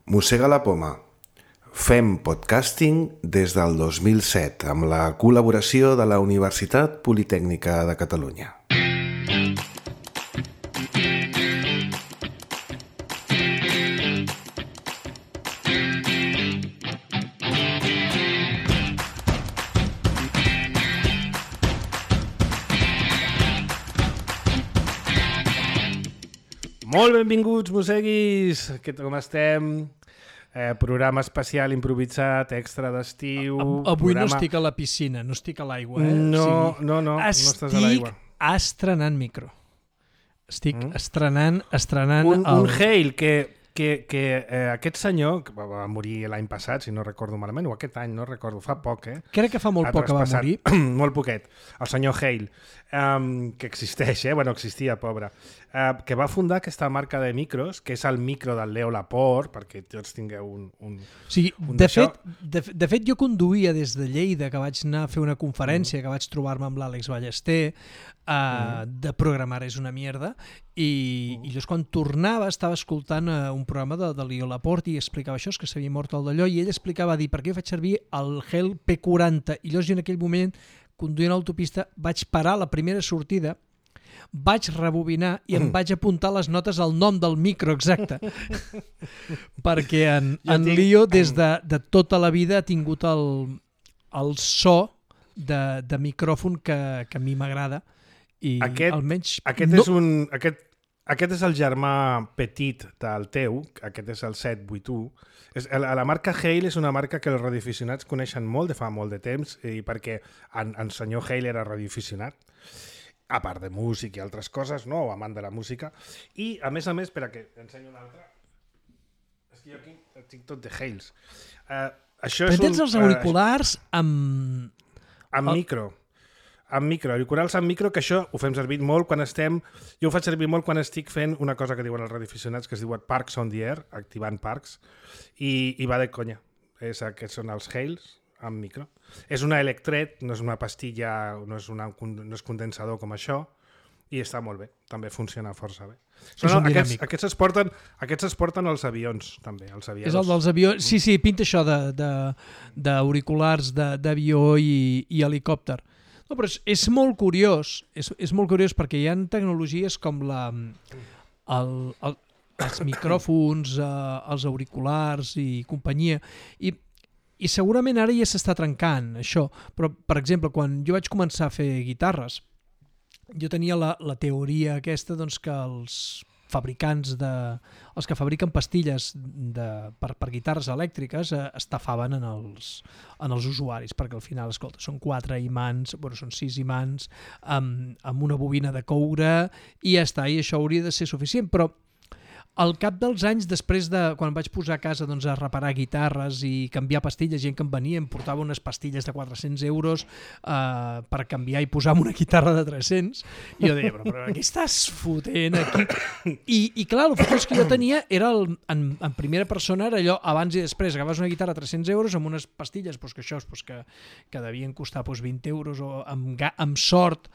Mossega la poma. Fem podcasting des del 2007 amb la col·laboració de la Universitat Politècnica de Catalunya. Molt benvinguts, mosseguis! Com estem? Programa especial improvisat, extra d'estiu... Avui no estic a la piscina, no estic a l'aigua. No estàs a l'aigua. Estic estrenant micro. Estic estrenant... Un hail que aquest senyor, que va morir l'any passat, si no recordo malament, o aquest any, no recordo, fa poc, Crec que fa molt poc que va morir. Molt poquet. El senyor Hale, que existeix, existia, pobre, que va fundar aquesta marca de micros, que és el micro del Leo Laporte, perquè tots tingueu un de fet, jo conduïa des de Lleida, que vaig anar a fer una conferència, que vaig trobar-me amb l'Àlex Ballester, de programar és una mierda, i llavors quan tornava estava escoltant un programa de Leo Laporte i explicava això, que s'havia mort el d'allò, i ell explicava, per què faig servir el Hale P40, i llavors jo en aquell moment, conduint a l'autopista, vaig parar la primera sortida, vaig rebobinar i em vaig apuntar les notes al nom del micro exacte, perquè en Leo des de tota la vida ha tingut el so de micròfon que a mi m'agrada. I almenys aquest és el germà petit del teu, aquest és el 781. La marca Hale és una marca que els radioaficionats coneixen molt de fa molt de temps, i perquè en senyor Hale era radioaficionat, a part de músic i altres coses, no? O amant de la música, i a més, espera que t'ensenyo una altra. És que jo aquí tinc tot de Hales. Tens els auriculars amb micro. Amb micro, auriculars amb micro, que això ho fem servir molt quan estem... Jo ho faig servir molt quan estic fent una cosa que diuen els radioaficionats, que es diuen Parks on the Air, activant parcs, i va de conya. Aquests són els Hales amb micro. És una Electret, no és una pastilla, no és condensador com això, i està molt bé, també funciona força bé. Aquests es porten als avions, també, als aviadors. És el dels avions, sí, pinta això d'auriculars d'avió i helicòpter. No, però és molt curiós, és molt curiós perquè hi ha tecnologies com els micròfons, els auriculars i companyia, i segurament ara ja s'està trencant això, però per exemple quan jo vaig començar a fer guitarres, jo tenia la teoria aquesta que els fabricants els que fabriquen pastilles per guitarres elèctriques estafaven en els usuaris, perquè al final, escolta, són 4 imants, són 6 imants amb una bobina de coure i ja està, i això hauria de ser suficient, però al cap dels anys, després de quan vaig posar a casa a reparar guitarres i canviar pastilles, gent que em venia em portava unes pastilles de 400 euros per canviar i posar una guitarra de 300, i jo deia, però què estàs fotent aquí? I clar, el fotós que jo tenia era en primera persona, era allò abans i després, agafaves una guitarra de 300 euros amb unes pastilles que devien costar 20 euros o amb sort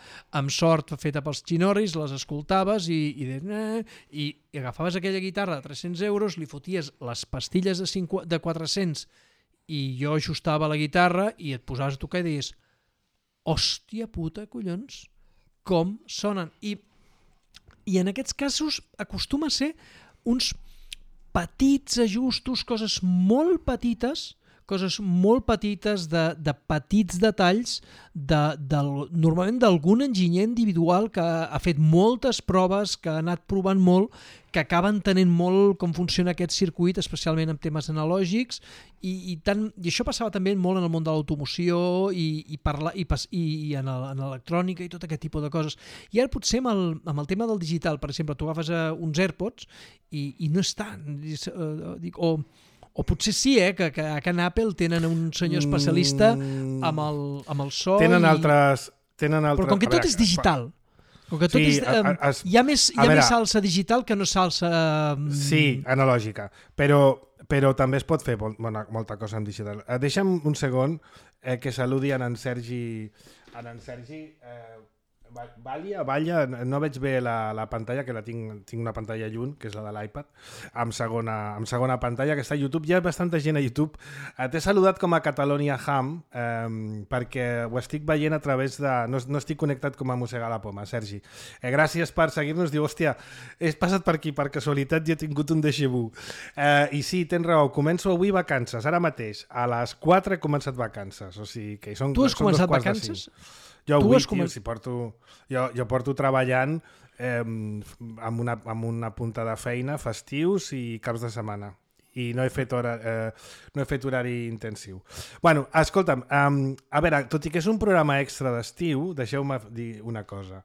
feta pels xinorris, les escoltaves i agafaves aquella guitarra de 300 euros, li foties les pastilles de 400 i jo ajustava la guitarra i et posaves a tocar i deies, hòstia puta, collons, com sonen. I en aquests casos acostuma a ser uns petits ajustos, coses molt petites de petits detalls normalment d'algun enginyer individual que ha fet moltes proves, que ha anat provant molt, que acaben tenint molt com funciona aquest circuit, especialment en temes analògics, i això passava també molt en el món de l'automoció i en l'electrònica i tot aquest tipus de coses. I ara potser amb el tema del digital, per exemple, tu agafes uns AirPods i no és tant, o potser sí, que a Can Apple tenen un senyor especialista amb el so. Tenen altres... Però com que tot és digital, com que tot hi ha més salsa digital que no salsa... Sí, analògica, però també es pot fer molta cosa en digital. Deixa'm un segon que saludi en Sergi Balla, no veig bé la pantalla, que tinc una pantalla lluny, que és la de l'iPad, amb segona pantalla, que està a YouTube. Hi ha bastanta gent a YouTube. T'he saludat com a Catalonia Ham, perquè ho estic veient a través de... No estic connectat com a Mossegar la Poma, Sergi. Gràcies per seguir-nos. Diu, hòstia, he passat per aquí per casualitat i he tingut un déjà vu. I sí, tens raó, començo avui vacances, ara mateix. A les 4 he començat vacances, o sigui que són... Tu has començat vacances? Jo avui, tio, jo porto treballant amb una punta de feina, festius i caps de setmana. I no he fet horari intensiu. Bueno, escolta'm, a veure, tot i que és un programa extra d'estiu, deixeu-me dir una cosa.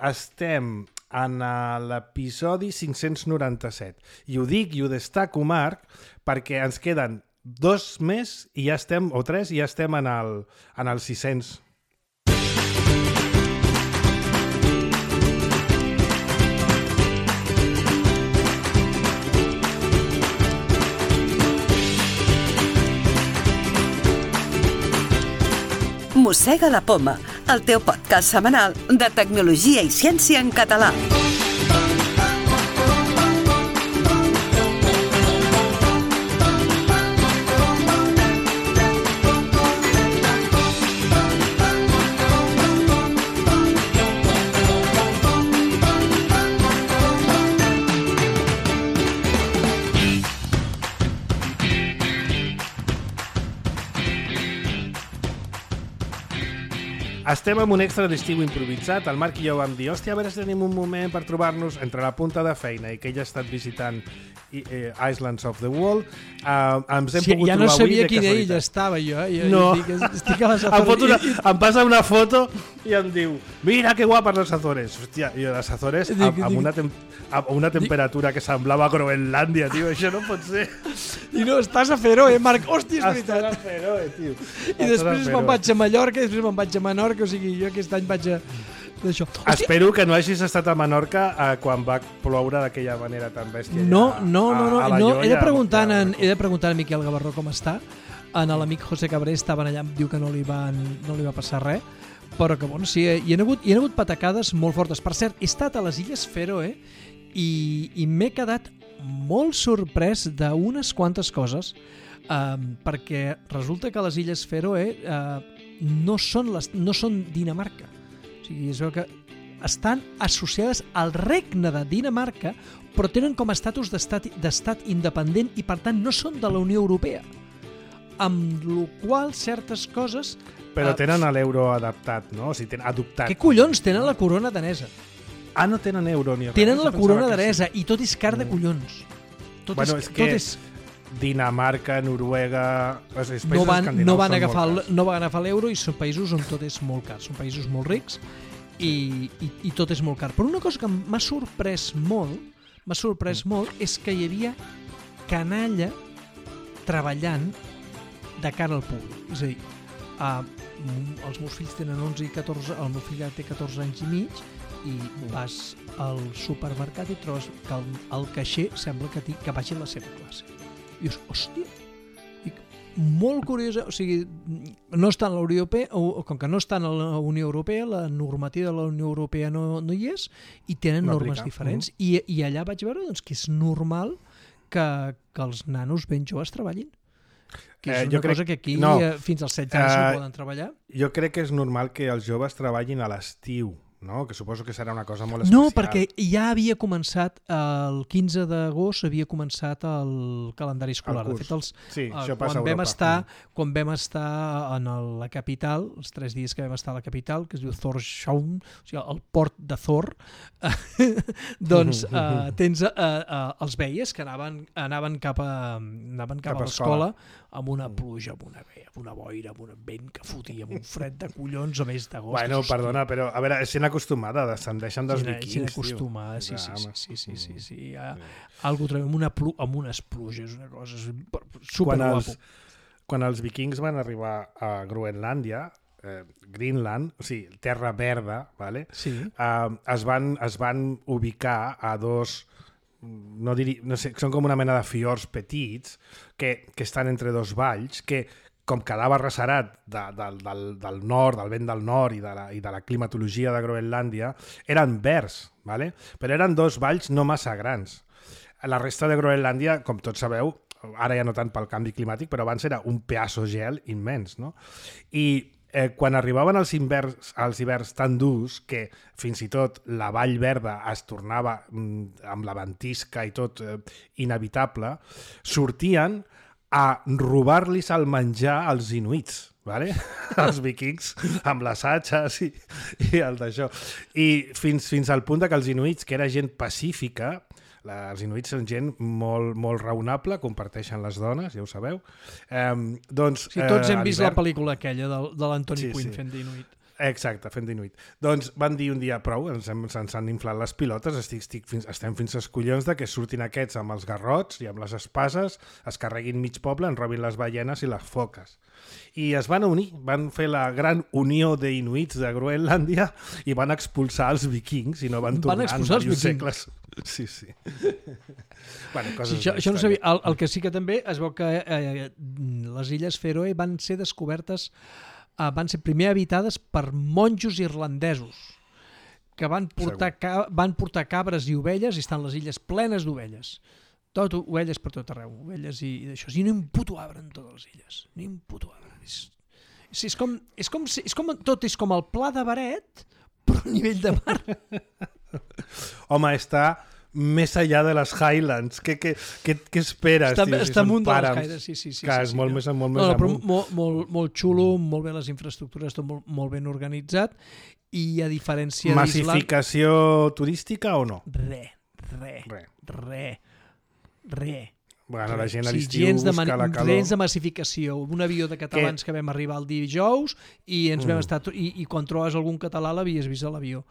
Estem en l'episodi 597. I ho dic i ho destaco, Marc, perquè ens queden 2 més i ja estem, o 3, i ja estem en el 600. Mossega la Poma, el teu podcast setmanal de tecnologia i ciència en català. Estem en un extra d'estiu improvisat. El Marc i jo vam dir, hòstia, a veure si tenim un moment per trobar-nos entre la punta de feina i que ella ha estat visitant Islands of the World. Ens hem pogut ja trobar no sabia avui de quina casualitat. illa estava jo. No. Estic a les Azores. Em passa una foto i em diu, mira que guapes les Azores. Hòstia, i les Azores amb una temperatura que semblava Groenlàndia, tio, això no pot ser. I no, estàs a Feroe, Marc. Hòstia, és veritat. Estàs a Feroe, tio. I després me'n vaig a Mallorca, i després me'n vaig a Menorca, o sigui, jo aquest any vaig a... Hòstia. Espero que no hagis estat a Menorca quan va ploure d'aquella manera tan bèstia. No. He de preguntar a Miquel Gavarró com està. En l'amic José Cabré estaven allà, diu que no li va passar res, però que, bueno, sí, hi ha hagut patacades molt fortes. Per cert, he estat a les Illes Fèroe i m'he quedat molt sorprès d'unes quantes coses, perquè resulta que les Illes Fèroe no són Dinamarca. O sigui, es veu que estan associades al regne de Dinamarca, però tenen com a estatus d'estat independent i, per tant, no són de la Unió Europea. Amb la qual certes coses... Però tenen l'euro adaptat, no? O sigui, tenen adoptat. Què collons? Tenen la corona danesa. No tenen euro ni res. Tenen la corona danesa i tot és car de collons. Tot és... Dinamarca, Noruega... No van agafar l'euro i són països on tot és molt car. Són països molt rics i tot és molt car. Però una cosa que m'ha sorprès molt és que hi havia canalla treballant de cara al públic. És a dir, els meus fills tenen 11 i 14, el meu fill ja té 14 anys i mig, i vas al supermercat i trobes que el caixer sembla que vagi a la seva classe. I dius, hòstia, molt curiosa, o sigui, no està en la Unió Europea, o com que no està en la Unió Europea, la normativa de la Unió Europea no hi és, i tenen normes diferents. I allà vaig veure doncs, que és normal que els nanos ben joves treballin. Que és una cosa que aquí fins als 16 anys no poden treballar. Jo crec que és normal que els joves treballin a l'estiu, no? Que suposo que serà una cosa molt especial. No, perquè ja havia començat, el 15 d'agost havia començat el calendari escolar. De fet, això passa a Europa. Quan vam estar a la capital, els 3 dies que vam estar a la capital, que es diu Thorshavn, o sigui, el port de Thor, doncs tens els veies que anaven cap a l'escola amb una pluja, amb una boira, amb un vent que fotia, amb un fred de collons a més d'agost. Bueno, perdona, però a veure, s'han acostumada, descendeixen dels vikings, s'han acostumada, sí. Algú trobem amb unes pluges, una cosa superguapo. Quan els vikings van arribar a Groenlàndia, Greenland, o sigui, terra verda, vale? Sí. Es van ubicar a dos, no sé, són com una mena de fiords petits que estan entre dos valls, que com quedava ressarat del nord, del vent del nord i de la climatologia de Groenlàndia, eren verds, ¿vale? Però eren 2 valls no massa grans. La resta de Groenlàndia, com tots sabeu, ara ja no tant pel canvi climàtic, però abans era un pedaço gel immens, no? I quan arribaven els hiverns tan durs que fins i tot la Vall Verda es tornava amb la ventisca i tot inevitable, sortien a robar-los el menjar als inuits, ¿vale? Els vikings, amb les atxes i el d'això. I fins al punt que els inuits, que era gent pacífica, els inuits són gent molt, molt raonable, comparteixen les dones, ja ho sabeu. Doncs, tots hem vist la pel·lícula aquella de l'Anthony Quinn fent d'inuit. Exacte, fent d'inuit. Doncs van dir un dia prou, ens han inflat les pilotes, estem fins als collons de que surtin aquests amb els garrots i amb les espases, es carreguin mig poble, en robin les ballenes i les foques. I es van unir, van fer la gran unió d'inuits de Groenlàndia i van expulsar els vikings i no van tornar en diversos segles. Sí. Bueno, coses això no sabia. El que sí que també es veu que les illes Fèroe van ser descobertes, van ser primer habitades per monjos irlandesos que van portar cabres i ovelles, i estan les illes plenes d'ovelles. Ovelles per tot arreu, ovelles i d'això. I no hi ha un puto arbre en totes les illes. Ni un puto arbre. Tot és com el Pla de Baret, però a nivell de mar. Home, està més allà de les Highlands. Què esperes? Està amunt de les Highlands, sí. És molt més amunt. Molt xulo, molt bé les infraestructures, tot molt ben organitzat, i a diferència d'Islàndia... Massificació turística o no? Re. Bueno, la gent a l'estiu busca la calor. Gens de massificació. Un avió de catalans que vam arribar el dijous i ens vam estar... I quan trobes algun català l'havies vist a l'avió.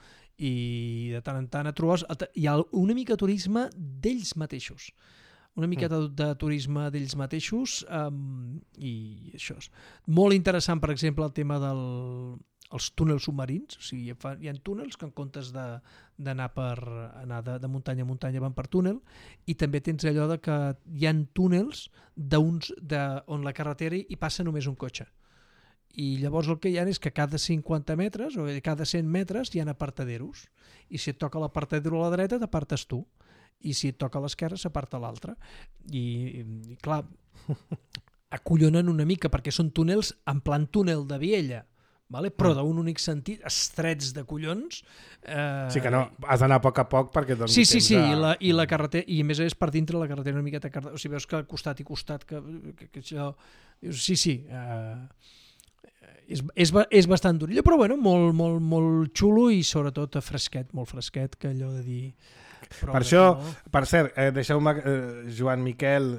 I de tant en tant hi ha una mica de turisme d'ells mateixos. Una miqueta de turisme d'ells mateixos, i això és molt interessant. Per exemple, el tema els túnels submarins. O sigui, hi ha túnels que en comptes d'anar de muntanya a muntanya van per túnel, i també tens allò de que hi ha túnels on la carretera hi passa només un cotxe. I llavors el que hi ha és que cada 50 metres o cada 100 metres hi ha apartaderos, i si et toca l'apartadero a la dreta t'apartes tu, i si et toca a l'esquerra s'aparta l'altre. I clar, acollonen una mica perquè són túnels en plan túnel de Viella, però d'un únic sentit, estrets de collons. Sí que no, has d'anar a poc perquè donis temps a... I la carretera, i a més per dintre la carretera una miqueta, o sigui, veus que costat i costat que això... Sí. És bastant durillo, però bueno, molt xulo, i sobretot fresquet, molt fresquet, que allò de dir... Per això, per cert, deixeu-me, Joan Miquel,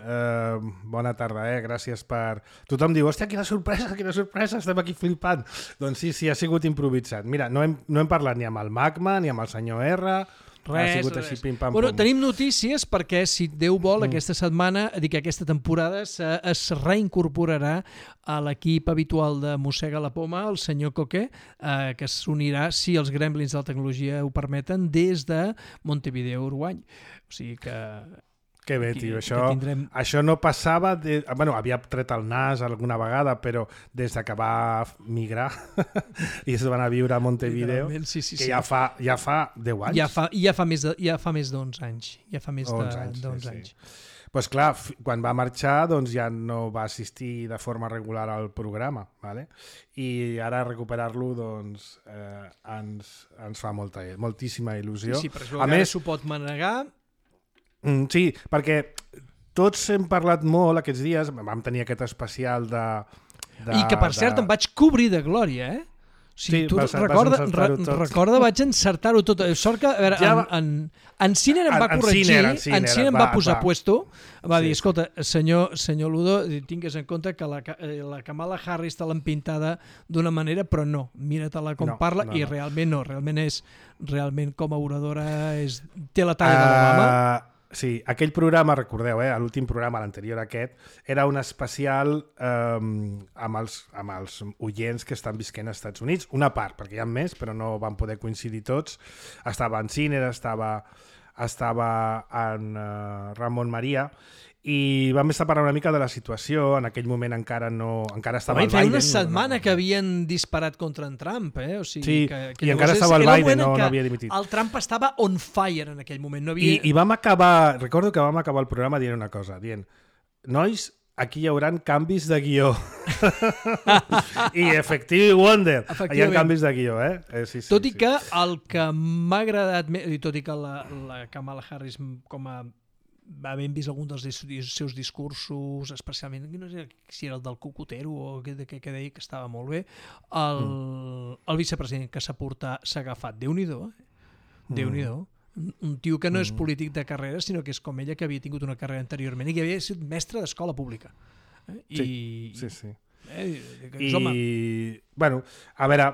bona tarda, gràcies per... Tothom diu, hòstia, quina sorpresa, estem aquí flipant. Doncs sí, ha sigut improvisat. Mira, no hem parlat ni amb el Magma, ni amb el senyor R, ha sigut així pim-pam-pum. Bueno, tenim notícies perquè, si Déu vol, aquesta setmana, aquesta temporada, es reincorporarà a l'equip habitual de Mossega la Poma, el senyor Coque, que s'unirà, si els gremlins de la tecnologia ho permeten, des de Montevideo, Uruguai. O sigui que... Que bé, tio, això no passava... havia tret el nas alguna vegada, però des que va migrar i es van a viure a Montevideo, que ja fa 10 anys. Ja fa més d'11 anys. Ja fa més d'11 anys. Doncs clar, quan va marxar ja no va assistir de forma regular al programa, ¿vale? I ara recuperar-lo ens fa moltíssima il·lusió. Sí, però a més s'ho pot manegar. Sí, perquè tots hem parlat molt aquests dies, vam tenir aquest especial I que, per cert, em vaig cobrir de glòria, Sí, tu recorda, vaig encertar-ho tot. Sort que, a veure, en Ciner em va corregir, en Ciner em va posar puesto, va dir, escolta, senyor Ludo, tingues en compte que la Kamala Harris te l'han pintada d'una manera, però no, mira-te-la com parla, i realment no, realment com a oradora té la talla de l'Obama. Sí, aquell programa, recordeu, l'últim programa, l'anterior aquest, era un especial amb els oients que estan visquent als Estats Units, una part, perquè hi ha més, però no van poder coincidir tots. Estava en Ciner, estava en Ramon Maria, i vam estar parlant una mica de la situació. En aquell moment encara estava el Biden. Feia una setmana que havien disparat contra en Trump, O sigui, i encara estava el Biden, no havia dimitit. El Trump estava on fire en aquell moment. I vam acabar, recordo que vam acabar el programa dient una cosa, dient, nois, aquí hi haurà canvis de guió. I Effective Wonder, hi ha canvis de guió, Sí, tot i que el que m'ha agradat més, i tot i que la Kamala Harris com a havent vist algun dels seus discursos, especialment, no sé si era el del cocotero o que deia que estava molt bé, el vicepresident que s'ha agafat, Déu-n'hi-do, Déu-n'hi-do, un tio que no és polític de carrera, sinó que és com ella, que havia tingut una carrera anteriorment i que havia sigut mestre d'escola pública. Sí. I, bueno, a veure,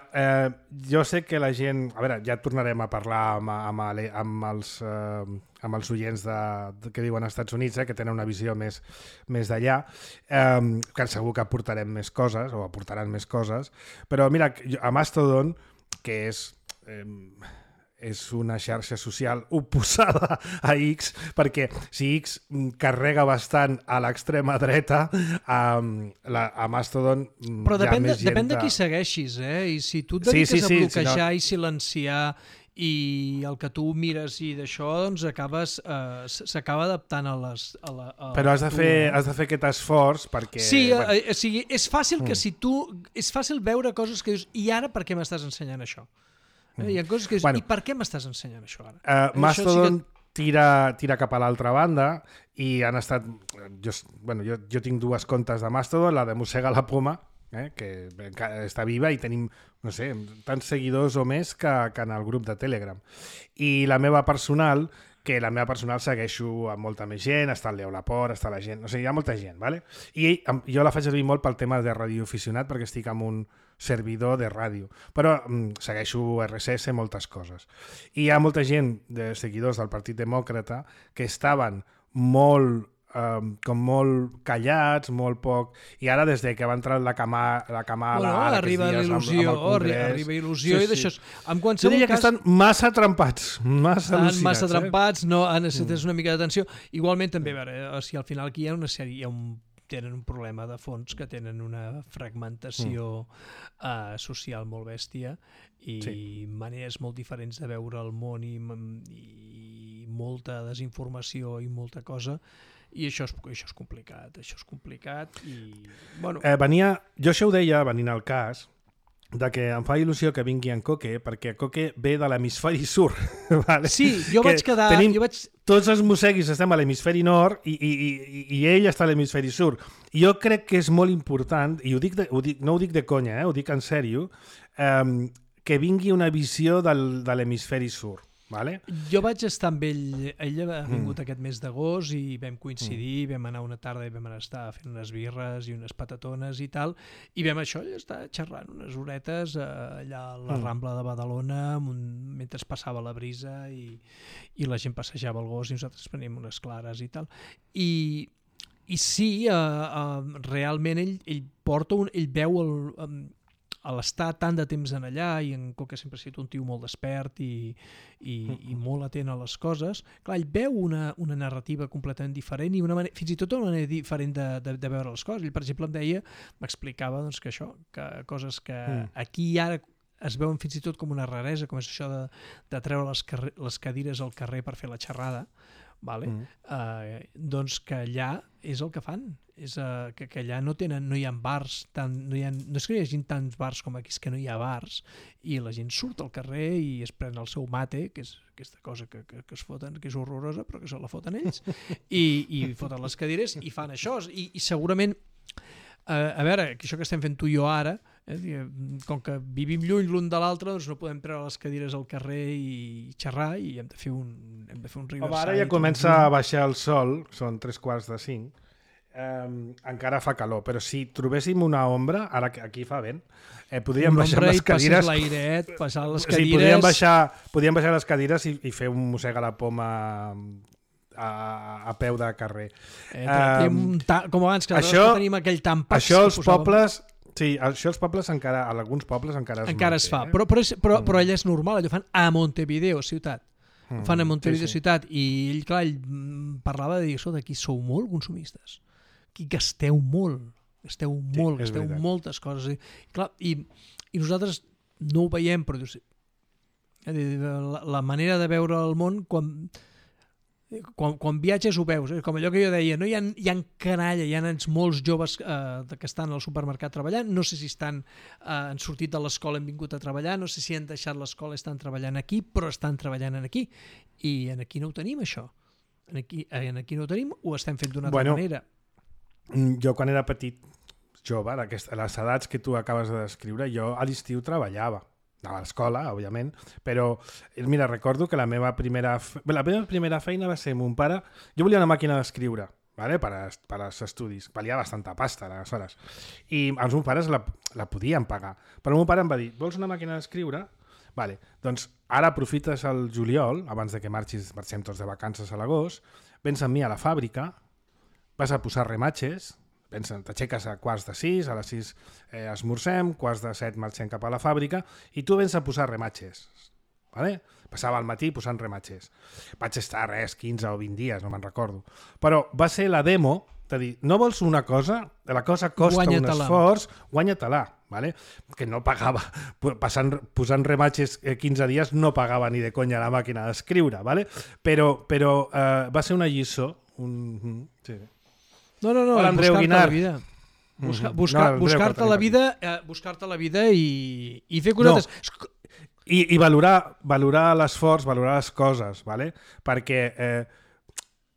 jo sé que la gent... A veure, ja tornarem a parlar amb els oients que diuen als Estats Units, que tenen una visió més d'allà, que segur que aportarem més coses, o aportaran més coses, però mira, a Mastodon, que és una xarxa social oposada a X, perquè si X carrega bastant a l'extrema dreta, a Mastodon però depèn de qui segueixis, I si tu et dediques a bloquejar i silenciar i el que tu mires i d'això, doncs s'acaba adaptant a les... Però has de fer aquest esforç perquè... Sí, o sigui, és fàcil que si tu... És fàcil veure coses que dius, i ara per què m'estàs ensenyant això? Hi ha coses que dius, i per què m'estàs ensenyant això ara? Mastodon tira cap a l'altra banda i han estat... Jo tinc dues comptes de Mastodon, la de Mossega la Poma, que està viva i tenim, no sé, tants seguidors o més que en el grup de Telegram. I la meva personal, segueixo amb molta més gent, està el Leo Laporte, està la gent... O sigui, hi ha molta gent, ¿vale? I jo la faig servir molt pel tema de radioaficionat perquè estic amb un servidor de ràdio, però segueixo RSS, moltes coses. I hi ha molta gent de seguidors del Partit Demòcrata que estaven molt callats, molt poc, i ara des que va entrar la Kamala arriba il·lusió i d'això. Jo diria que estan massa trempats, massa al·lucinats. Massa trempats, no, necessites una mica d'atenció. Igualment també, a veure, si al final aquí hi ha una sèrie, tenen un problema de fons, que tenen una fragmentació social molt bèstia i maneres molt diferents de veure el món i molta desinformació i molta cosa, i això és complicat i... Bueno. Jo això ho deia, venint al cas, de que em fa il·lusió que vingui en Coque, perquè Coque ve de l'hemisferi sur. Vale? Sí, jo vaig quedar... Tots els mosseguis estem a l'hemisferi nord i ell està a l'hemisferi sur. I jo crec que és molt important, i no ho dic de conya, ho dic en sèrio, que vingui una visió de l'hemisferi sur. Vale? Jo vaig estar amb ell ha vingut aquest mes d'agost i vam coincidir, vam anar una tarda i vam estar fent unes birres i unes patatones i tal, i vam estar xerrant unes horetes allà a la Rambla de Badalona mentre passava la brisa i la gent passejava el gos i nosaltres preníem unes clares i tal. I sí, realment ell veu a l'estar tant de temps en allà, i en Coque sempre ha estat un tio molt despert i molt atent a les coses, clar, ell veu una narrativa completament diferent i fins i tot una manera diferent de veure les coses. Ell, per exemple, m'explicava doncs, que coses que aquí ara es veuen fins i tot com una raresa, com és això de treure les cadires al carrer per fer la xerrada, vale? Doncs que allà és el que fan, és que allà no hi ha bars, no és que hi hagi tants bars com aquí, és que no hi ha bars, i la gent surt al carrer i es pren el seu mate, que és aquesta cosa que es foten, que és horrorosa, però que se la foten ells, i foten les cadires i fan això, i segurament a veure, això que estem fent tu i jo ara, com que vivim lluny l'un de l'altre, doncs no podem treure les cadires al carrer i xerrar, i hem de fer un riverside. Ara ja comença a baixar el sol, són 3:45, encara fa calor, però si trobéssim una ombra, ara aquí fa vent, podríem baixar les cadires, passar les cadires... podríem baixar les cadires i fer un mossega la poma a peu de carrer. Com abans, que tenim aquell tampat. Això els pobles... Sí, això els pobles encara, a alguns pobles encara es fa, però allà és normal, allò fan a Montevideo, ciutat. Ho fan a Montevideo ciutat. I ell, clar, parlava de dir, aquí sou molt consumistes. Aquí gasteu molt. Gasteu moltes coses. I nosaltres no ho veiem, però la manera de veure el món quan viatges ho veus, com allò que jo deia, no? Hi ha canalla, hi ha nens molts joves que estan al supermercat treballant, no sé si han sortit de l'escola i han vingut a treballar, no sé si han deixat l'escola i estan treballant aquí, però estan treballant aquí, i aquí no ho tenim, això. Aquí no ho tenim, ho estem fent d'una altra manera. Jo quan era petit, jove, a les edats que tu acabes de descriure, jo a l'estiu treballava. Anava a l'escola, òbviament, però mira, recordo que la meva primera feina va ser mon pare. Jo volia una màquina d'escriure, ¿vale? per als estudis. Valia bastanta pasta, aleshores. I els meus pares la podien pagar. Però el meu pare em va dir, vols una màquina d'escriure? Vale, doncs ara aprofites el juliol, abans de que marxem tots de vacances a l'agost, vens amb mi a la fàbrica, vas a posar rematxes, t'aixeques a 5:45, a les 6 esmorzem, 6:45 marxem cap a la fàbrica i tu vens a posar rematxes. Vale? Passava al matí posant rematxes. Vaig estar 15 o 20 dies, no me'n recordo. Però va ser la demo de dir, no vols una cosa? La cosa costa un esforç, guanya-te-la. Vale? Que no pagava, posant rematxes 15 dies no pagava ni de conya la màquina d'escriure, vale? Però va ser una lliçó. Sí. No, buscar-te la vida i fer cosetes. I valorar l'esforç, valorar les coses, ¿vale? Perquè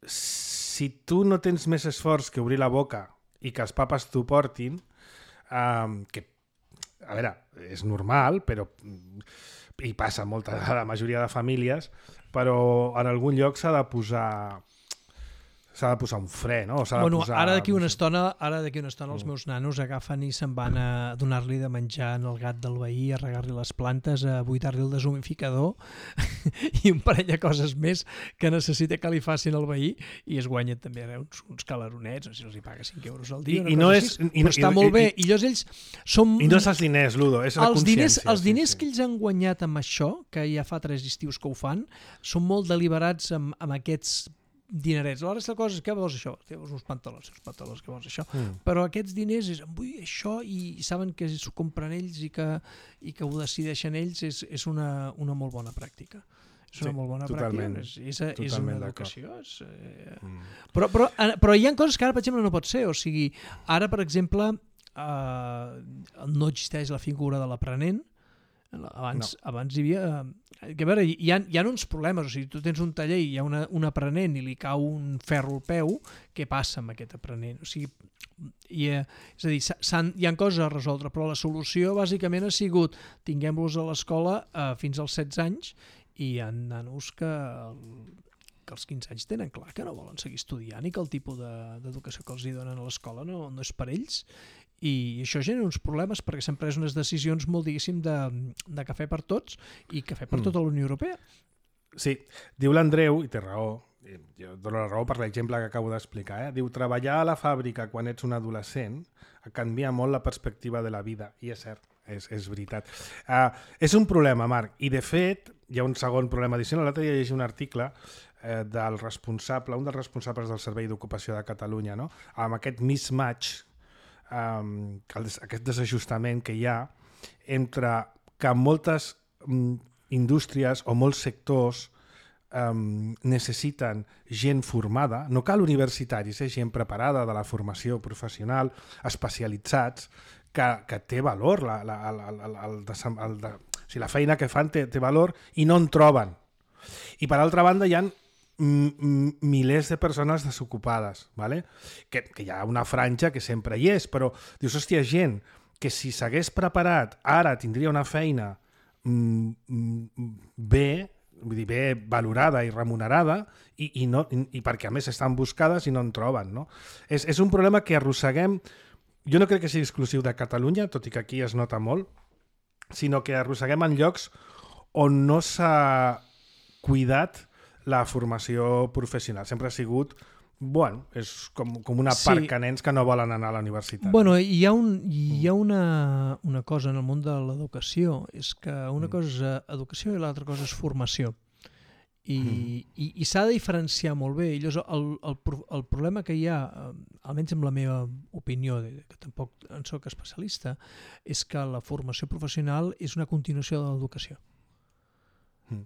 si tu no tens més esforç que obrir la boca i que els papes t'ho portin, que, a veure, és normal, però i passa molta a la majoria de famílies, però en algun lloc s'ha de posar un fre, no? Ara d'aquí una estona els meus nanos agafen i se'n van a donar-li de menjar al gat del veí, a regar-li les plantes, a buidar-li el deshumidificador i un parell de coses més que necessita que li facin al veí, i es guanyen també uns calaronets, no sé si els hi paga 5 euros al dia, però està molt bé. I ells són... I no és els diners, Ludo, és la consciència. Els diners que ells han guanyat amb això, que ja fa 3 estius que ho fan, són molt deliberats amb aquests dinerets. La resta de coses, què vols això? Teus uns pantalons, què vols això? Però aquests diners vull això, i saben que s'ho compren ells i que ho decideixen ells, és una molt bona pràctica. És una molt bona pràctica. És una educació. Però hi ha coses que ara, per exemple, no pot ser. O sigui, ara, per exemple, no existeix la figura de l'aprenent. Abans hi havia... Que a veure, hi ha uns problemes. O sigui, tu tens un taller i hi ha un aprenent i li cau un ferro al peu, què passa amb aquest aprenent? O sigui, és a dir, hi ha coses a resoldre, però la solució bàsicament ha sigut tinguem-los a l'escola fins als 16 anys, i hi ha nanos que als 15 anys tenen clar que no volen seguir estudiant i que el tipus d'educació que els hi donen a l'escola no és per ells. I això genera uns problemes perquè s'han pres unes decisions molt, diguéssim, de cafè per tots i cafè per tota la Unió Europea. Sí, diu l'Andreu, i té raó, jo dono la raó per l'exemple que acabo d'explicar, diu, treballar a la fàbrica quan ets un adolescent canvia molt la perspectiva de la vida, i és cert, és veritat. És un problema, Marc, i de fet hi ha un segon problema addicional. L'altre dia llegia un article un dels responsables del Servei d'Ocupació de Catalunya, no? Amb aquest mismatch, aquest desajustament que hi ha entre que moltes indústries o molts sectors necessiten gent formada, no cal universitaris, gent preparada de la formació professional, especialitzats, que té valor, la feina que fan té valor i no en troben. I per altra banda hi ha milers de persones desocupades, ¿vale? Que hi ha una franja que sempre hi és, però dius, hòstia, gent que si s'hagués preparat ara tindria una feina bé valorada i remunerada, i perquè a més estan buscades i no en troben, no? És un problema que arrosseguem. Jo no crec que sigui exclusiu de Catalunya, tot i que aquí es nota molt, sinó que arrosseguem en llocs on no s'ha cuidat la formació professional. Sempre ha sigut, és com una part de nens que no volen anar a la universitat. Bueno, hi ha una cosa en el món de l'educació, és que una cosa és educació i l'altra cosa és formació. I s'ha de diferenciar molt bé. I llavors el problema que hi ha, almenys amb la meva opinió, que tampoc en soc especialista, és que la formació professional és una continuació de l'educació.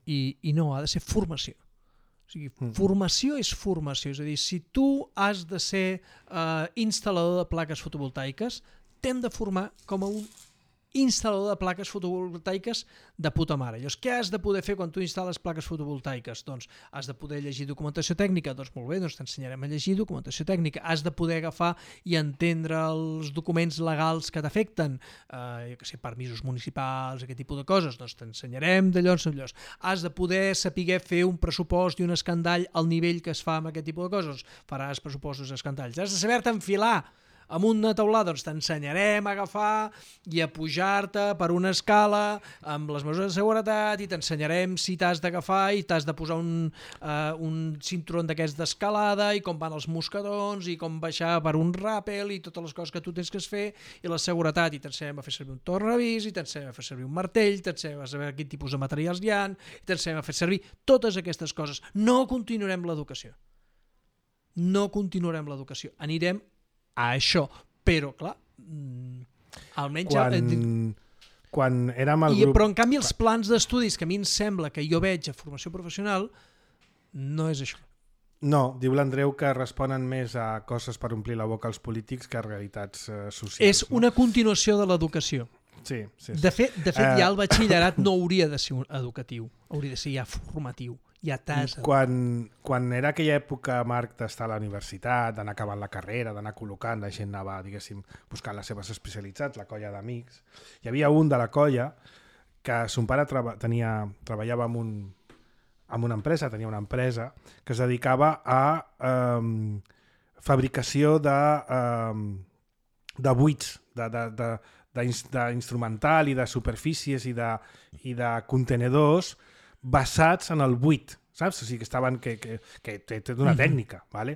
I no, ha de ser formació. O sigui, formació és formació. És a dir, si tu has de ser instal·lador de plaques fotovoltaiques, t'hem de formar com a un instal·lador de plaques fotovoltaiques de puta mare. Llavors, què has de poder fer quan tu instal·les plaques fotovoltaiques? Doncs has de poder llegir documentació tècnica. Doncs molt bé, doncs t'ensenyarem a llegir documentació tècnica. Has de poder agafar i entendre els documents legals que t'afecten, jo què sé, permisos municipals, aquest tipus de coses, doncs t'ensenyarem d'allò en allò. Has de poder saber fer un pressupost i un escandall al nivell que es fa amb aquest tipus de coses. Faràs pressupostos i escandalls. Has de saber-te enfilar amb una taulada, doncs t'ensenyarem a agafar i a pujar-te per una escala amb les mesures de seguretat i t'ensenyarem si t'has d'agafar i t'has de posar un cinturó d'aquests d'escalada i com van els mosquetons i com baixar per un ràpel i totes les coses que tu tens que fer i la seguretat, i t'ensenyem a fer servir un tornavís i t'ensenyem a fer servir un martell, t'ensenyem a saber quin tipus de materials hi ha i t'ensenyem a fer servir totes aquestes coses. No continuarem l'educació. Anirem a això, però clar, almenys... Quan érem al grup... Però en canvi els plans d'estudis que a mi em sembla que jo veig a formació professional no és això. No, diu l'Andreu que responen més a coses per omplir la boca als polítics que a realitats socials. És una continuació de l'educació. Sí. De fet, ja el batxillerat no hauria de ser educatiu, hauria de ser ja formatiu. Ja quan era aquella època, Marc, d'estar a la universitat, d'anar acabant la carrera, d'anar col·locant, la gent anava, diguéssim, buscant les seves especialitats, la colla d'amics. Hi havia un de la colla que son pare treballava en una empresa, tenia una empresa que es dedicava a fabricació de buits, d'instrumental i de superfícies i de contenedors basats en el buit, saps? O sigui, que estaven que té una tècnica, ¿vale?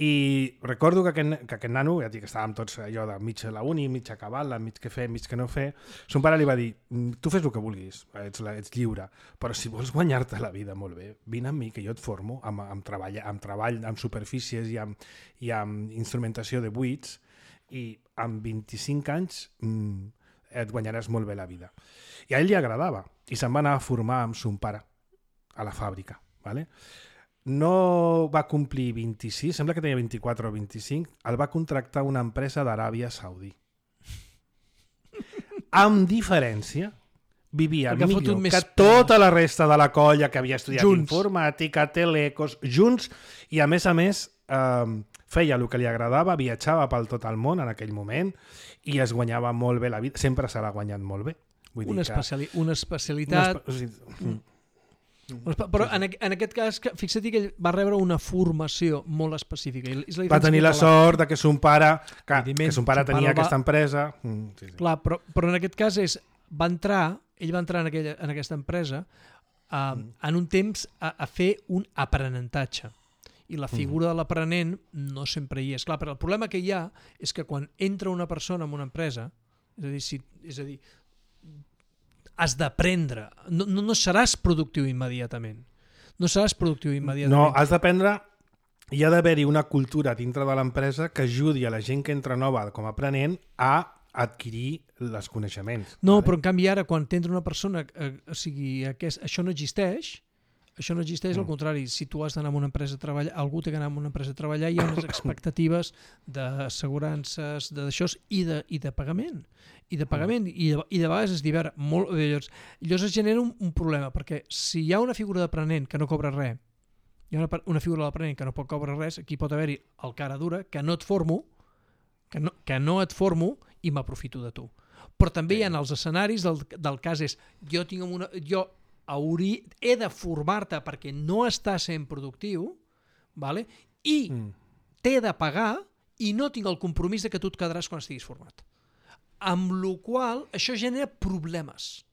I recordo que aquest nano, ja dic que estàvem tots allò de mig a la uni, mig acabat-la, mig què fer, mig què no fer, son pare li va dir, tu fes el que vulguis, ets lliure, però si vols guanyar-te la vida molt bé, vine amb mi que jo et formo amb treball, amb superfícies i amb instrumentació de buits, i amb 25 anys et guanyaràs molt bé la vida. I a ell li agradava, i se'n va anar a formar amb son pare a la fàbrica. ¿Vale? No va complir 26, sembla que tenia 24 o 25, el va contractar una empresa d'Aràbia Saudí. Amb diferència, vivia millor que tota la resta de la colla que havia estudiat informàtica, telecos, junts, i a més feia el que li agradava, viatjava pel tot el món en aquell moment i es guanyava molt bé la vida, sempre se l'ha guanyat molt bé. Una especialitat... Però en aquest cas, fixa't que ell va rebre una formació molt específica. Va tenir la sort que son pare tenia aquesta empresa. Clar, però en aquest cas ell va entrar en aquesta empresa en un temps a fer un aprenentatge. I la figura de l'aprenent no sempre hi és. Clar, però el problema que hi ha és que quan entra una persona en una empresa, és a dir, has d'aprendre, no seràs productiu immediatament. No, has d'aprendre, hi ha d'haver-hi una cultura dintre de l'empresa que ajudi a la gent que entra nova com a aprenent a adquirir els coneixements. No, però en canvi ara, quan t'entra una persona, això no existeix, al contrari, si tu has d'anar a una empresa a treballar, algú té que anar a una empresa a treballar, hi ha unes expectatives d'assegurances, d'això i de pagament. I de vegades es divera molt. Llavors es genera un problema, perquè si hi ha una figura d'aprenent que no cobra res, hi ha una figura d'aprenent que no pot cobrar res, aquí pot haver-hi el cara dura, que no et formo, i m'aprofito de tu. Però també hi ha els escenaris del cas és, he de formar-te perquè no estàs sent productiu, vale? I t'he de pagar i no tinc el compromís de que tu et quedaràs quan estiguis format. Amb la qual cosa això genera problemes.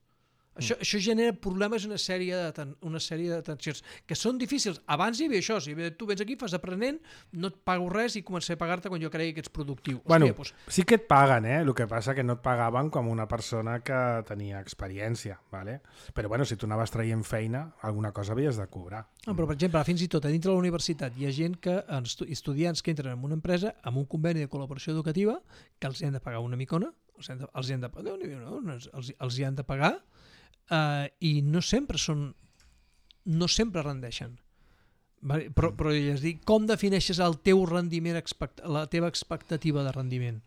Això genera problemes i una sèrie de tensions que són difícils. Abans hi havia això, tu vens aquí, fas aprenent, no et pago res i començaré a pagar-te quan jo cregui que ets productiu. Bueno, sí que et paguen, el que passa que no et pagaven com una persona que tenia experiència, ¿vale? Però bueno, si tu anaves traient feina, alguna cosa havies de cobrar. Però per exemple, fins i tot a dintre de la universitat hi ha gent que, estudiants que entren en una empresa amb un conveni de col·laboració educativa que els hi han de pagar una micona, els hi han de pagar i no sempre rendeixen. Però és dir, com defineixes el teu rendiment, la teva expectativa de rendiment?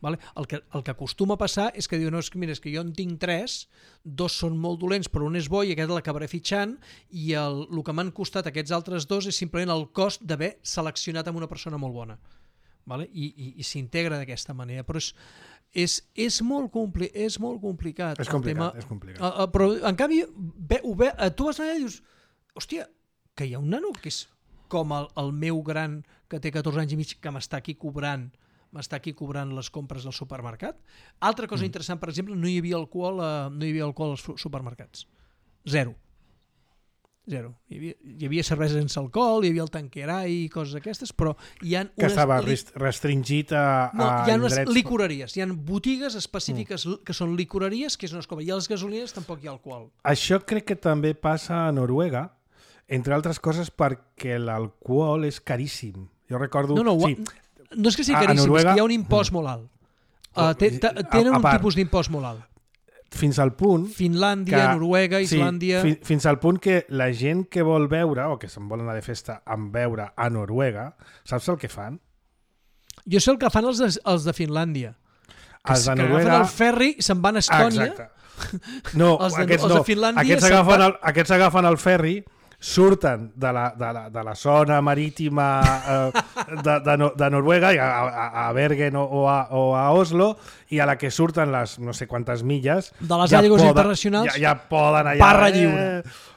El que acostuma a passar és que diuen, no, mira, és que jo en tinc 3, 2 són molt dolents però un és bo i aquest l'acabaré fitxant i el que m'han costat aquests altres 2 és simplement el cost d'haver seleccionat amb una persona molt bona. I s'integra d'aquesta manera, però és molt complicat. És complicat. Però en canvi tu vas allà i dius, hòstia, que hi ha un nano que és com el meu gran que té 14 anys i mig que m'està aquí cobrant les compres del supermercat. Altra cosa interessant, per exemple, no hi havia alcohol als supermercats. Zero. Hi havia cervesa sense alcohol, hi havia el tanquerai i coses d'aquestes, però hi ha que estava restringit a hi ha unes licoreries, hi ha botigues específiques que són licoreries, que és on es compra, i a les gasolines tampoc hi ha alcohol. Això crec que també passa a Noruega, entre altres coses perquè l'alcohol és caríssim. Jo recordo... No és que sigui caríssim, Noruega... és que hi ha un impost molt alt. Tenen un tipus d'impost molt alt. Fins al punt... Finlàndia, Noruega, Islàndia... Sí, fins al punt que la gent que vol veure, o que se'n vol anar de festa amb veure a Noruega, saps el que fan? Jo sé el que fan els de Finlàndia. Els de Noruega... agafen el ferri i se'n van a Estònia. Exacte. No, aquests no. Aquests agafen el ferri, surten de la zona marítima de Noruega a Bergen o a Oslo, i a la que surten les no sé quantes milles de les aigües internacionals ja poden allà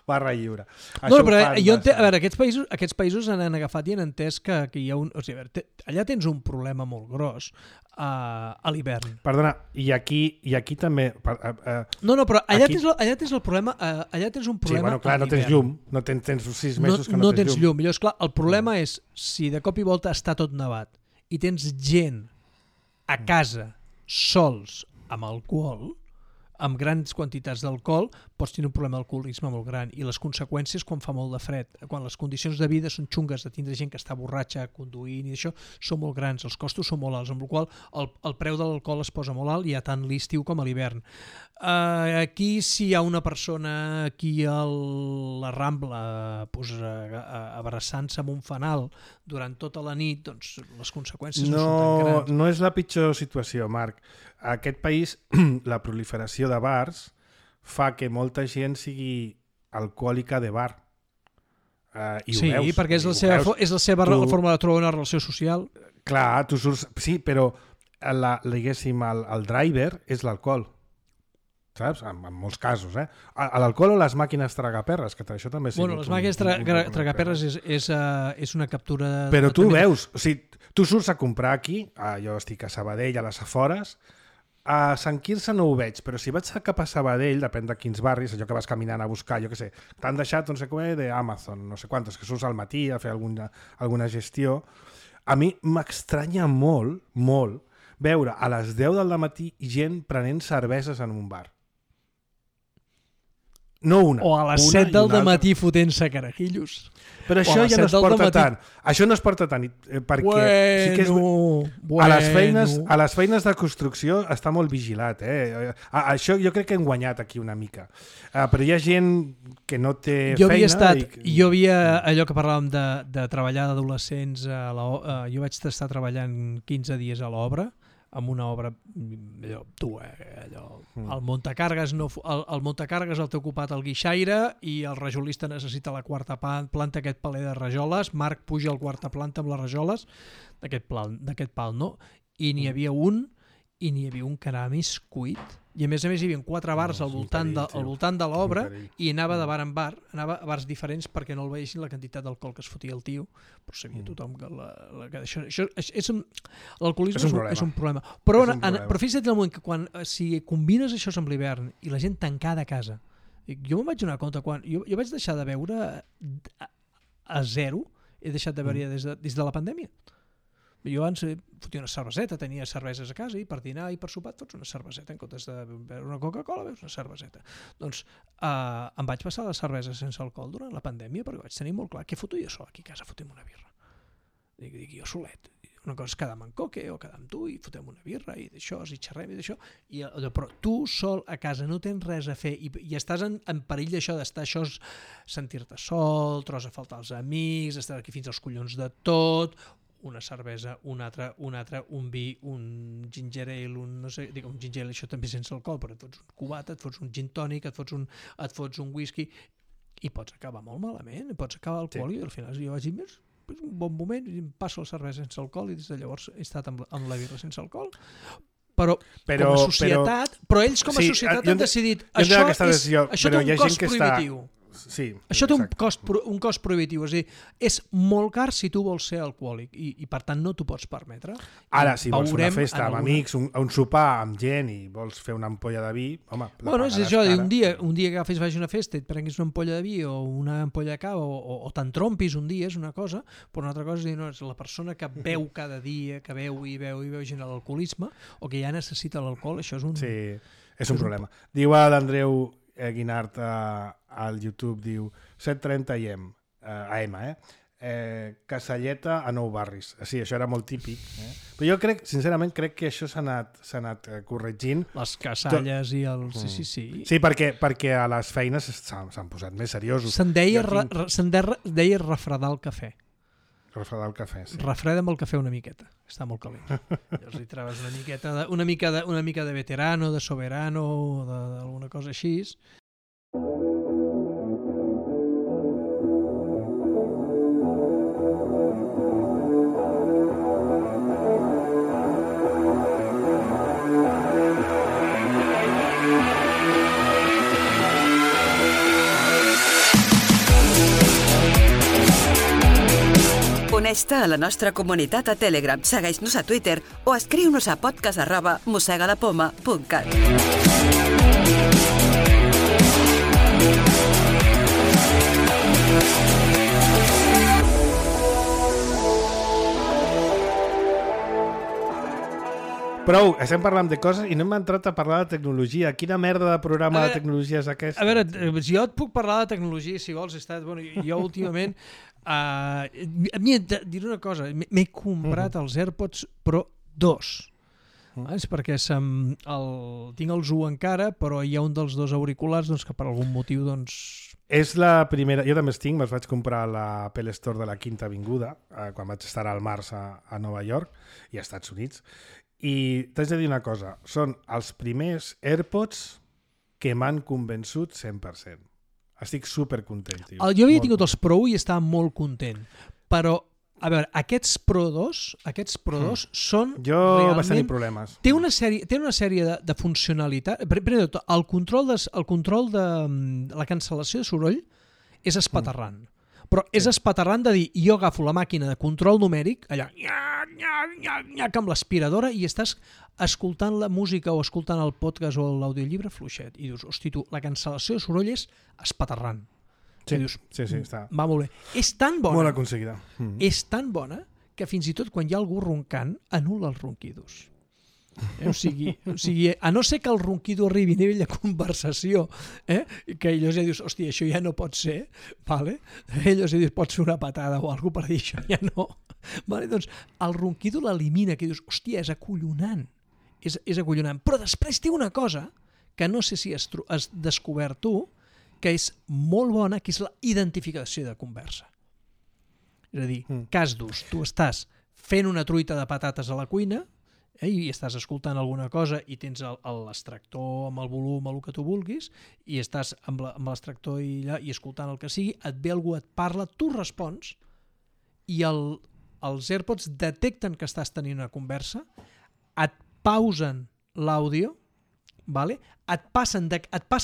barra lliure. No, però jo a veure, aquests països han agafat i han entès que hi ha allà tens un problema molt gros a l'hivern. Perdona, i aquí també... No, però allà tens el problema, allà tens un problema. Sí, bueno, clar, no tens llum, tens 6 mesos que no tens llum. Llavors, clar, el problema és si de cop i volta està tot nevat i tens gent a casa sols amb alcohol, amb grans quantitats d'alcohol, pots tenir un problema d'alcoholisme molt gran, i les conseqüències quan fa molt de fred, quan les condicions de vida són xungues, de tindre gent que està borratxa conduint i això, són molt grans, els costos són molt alts, amb la qual el preu de l'alcohol es posa molt alt, ja tant l'estiu com a l'hivern. Aquí, si hi ha una persona aquí a la Rambla abraçant-se amb un fanal durant tota la nit, doncs les conseqüències no són tan grans. No és la pitjor situació, Marc. A aquest país, la proliferació de bars fa que molta gent sigui alcohòlica de bar. I sí, veus, perquè és la seva forma de trobar una relació social. Clar, tu surts... Sí, però diguéssim, el driver és l'alcohol. Saps? En molts casos, l'alcohol o les màquines tragaperres, que això també... Bueno, les màquines tragaperres és una captura... Però tu veus, o sigui, tu surts a comprar aquí, jo estic a Sabadell, a les afores, a Sant Quirze no ho veig, però si vaig cap a Sabadell, depèn de quins barris, allò que vas caminant a buscar, jo què sé, t'han deixat, no sé què, d'Amazon, no sé quantos, que surts al matí a fer alguna gestió. A mi m'estranya molt, molt, veure a les 10 del matí gent prenent cerveses en un bar. No una. O a les 7 del matí fotent-se carajillos. Però això ja no es porta tant. Això no es porta tant, perquè sí que a les feines de construcció està molt vigilat. Això jo crec que hem guanyat aquí una mica. Però hi ha gent que no té feina... Jo havia allò que parlàvem de treballar d'adolescents, jo vaig estar treballant 15 dies a l'obra, amb una obra, el muntacargues el té ocupat el guixaire i el rajolista necessita la quarta planta, aquest paler de rajoles, Marc puja a la quarta planta amb les rajoles d'aquest pal, no? I n'hi havia un que anava més cuit, i a més hi havia 4 bars al voltant de l'obra, i anava de bar en bar, anava a bars diferents perquè no el veiessin la quantitat d'alcohol que es fotia el tio, però sabia tothom que l'alcoholisme és un problema. Però fixa't el moment que si combines això amb l'hivern i la gent tancada a casa, Jo me'n vaig donar compte quan... Jo vaig deixar de beure a zero, he deixat de beure des de la pandèmia. Jo abans fotia una cerveseta, tenia cerveses a casa i per dinar i per sopar et fots una cerveseta en comptes de beure una Coca-Cola, veus una cerveseta. Doncs em vaig passar la cervesa sense alcohol durant la pandèmia perquè vaig tenir molt clar què foto jo sol aquí a casa, fotem una birra. Dic jo solet. Una cosa és quedar amb en Coque o quedar amb tu i fotem una birra i d'això, i xerrem i d'això. Però tu sol a casa no tens res a fer i estàs en perill d'això, d'estar això, sentir-te sol, trobes a faltar els amics, estar aquí fins als collons de tot, una cervesa, una altra, un vi, un ginger ale, un ginger ale, això també sense alcohol, però et fots un cubata, et fots un gin tònic, et fots un whisky, i pots acabar molt malament, pots acabar alcohòlic, i al final jo vaig dir, és un bon moment, i em passo la cervesa sense alcohol, i des de llavors he estat amb la birra sense alcohol, però com a societat, però ells com a societat han decidit, això té un cost prohibitiu. Sí, això té un cost prohibitiu, és a dir, és molt car si tu vols ser alcohòlic i per tant no t'ho pots permetre. Ara, si vols una festa amb amics, un sopar amb gent i vols fer una ampolla de vi, home, bueno, és això, un dia que agafis, vagis a una festa i et prenguis una ampolla de vi o una ampolla de cava o t'entrompis un dia és una cosa, però una altra cosa és dir, no, és la persona que beu cada dia, que beu i beu gent a l'alcoholisme o que ja necessita l'alcohol, això és un... Sí, és un problema. Diu l'Andreu Guinart al YouTube, diu 7:30 AM, Casalleta a Nou Barris. Sí, això era molt típic. Però jo sincerament crec que això s'ha anat corregint. Les casalles i els... Sí. Sí, perquè a les feines s'han posat més seriosos. Se'n deia refredar el cafè. Refredar el cafè, sí. Refreda'm el cafè una miqueta, està molt calent. Llavors hi trobes una mica de veterano, de soberano, d'alguna cosa així. Uneix-te a la nostra comunitat a Telegram, segueix-nos a Twitter o escriu-nos a podcast@mossegalapoma.cat. Prou, estem parlant de coses i no hem entrat a parlar de tecnologia. Quina merda de programa de tecnologia és aquest? A veure, jo et puc parlar de tecnologia, si vols. Jo últimament... a mi et diré una cosa, m'he comprat els AirPods Pro 2. És perquè tinc els 1 encara, però hi ha un dels dos auriculars que per algun motiu... És la primera... Jo també els tinc, me'ls vaig comprar a l'Apple Store de la Quinta Avinguda, quan vaig estar al març a Nova York i als Estats Units. I t'haig de dir una cosa, són els primers AirPods que m'han convençut 100%. Estic supercontent, tio. Jo havia tingut els Pro i estava molt content, però, a veure, aquests Pro 2 són jo realment... vaig tenir problemes. Té una sèrie de funcionalitat. Primer de tot, el control de la cancel·lació de soroll és espaterrant. Però és espaterrant de dir, jo agafo la màquina de control numèric, allà, amb l'aspiradora, i estàs escoltant la música o escoltant el podcast o l'audiollibre fluixet. I dius, hosti, tu, la cancel·lació de soroll és espaterrant. Sí, dius, sí, està. Va molt bé. És tan bona, molt aconseguida. És tan bona que fins i tot quan hi ha algú roncant, anul·la els ronquidos. O sigui, a no ser que el ronquido arribi a nivell de conversació, que llavors ja dius, hòstia, això ja no pot ser, vale? Llavors ja dius, pots fer una patada o alguna per dir això, ja no. Vale? Doncs el ronquido l'elimina, que dius, hòstia, és acollonant. És acollonant. Però després té una cosa que no sé si has descobert tu, que és molt bona, que és la identificació de conversa. És a dir, cas d'ús, tu estàs fent una truita de patates a la cuina, i estàs escoltant alguna cosa i tens l'extractor amb el volum, el que tu vulguis, i estàs amb l'extractor i escoltant el que sigui, et ve algú, et parla, tu respons, i els AirPods detecten que estàs tenint una conversa, et pausen l'àudio, vale? et passa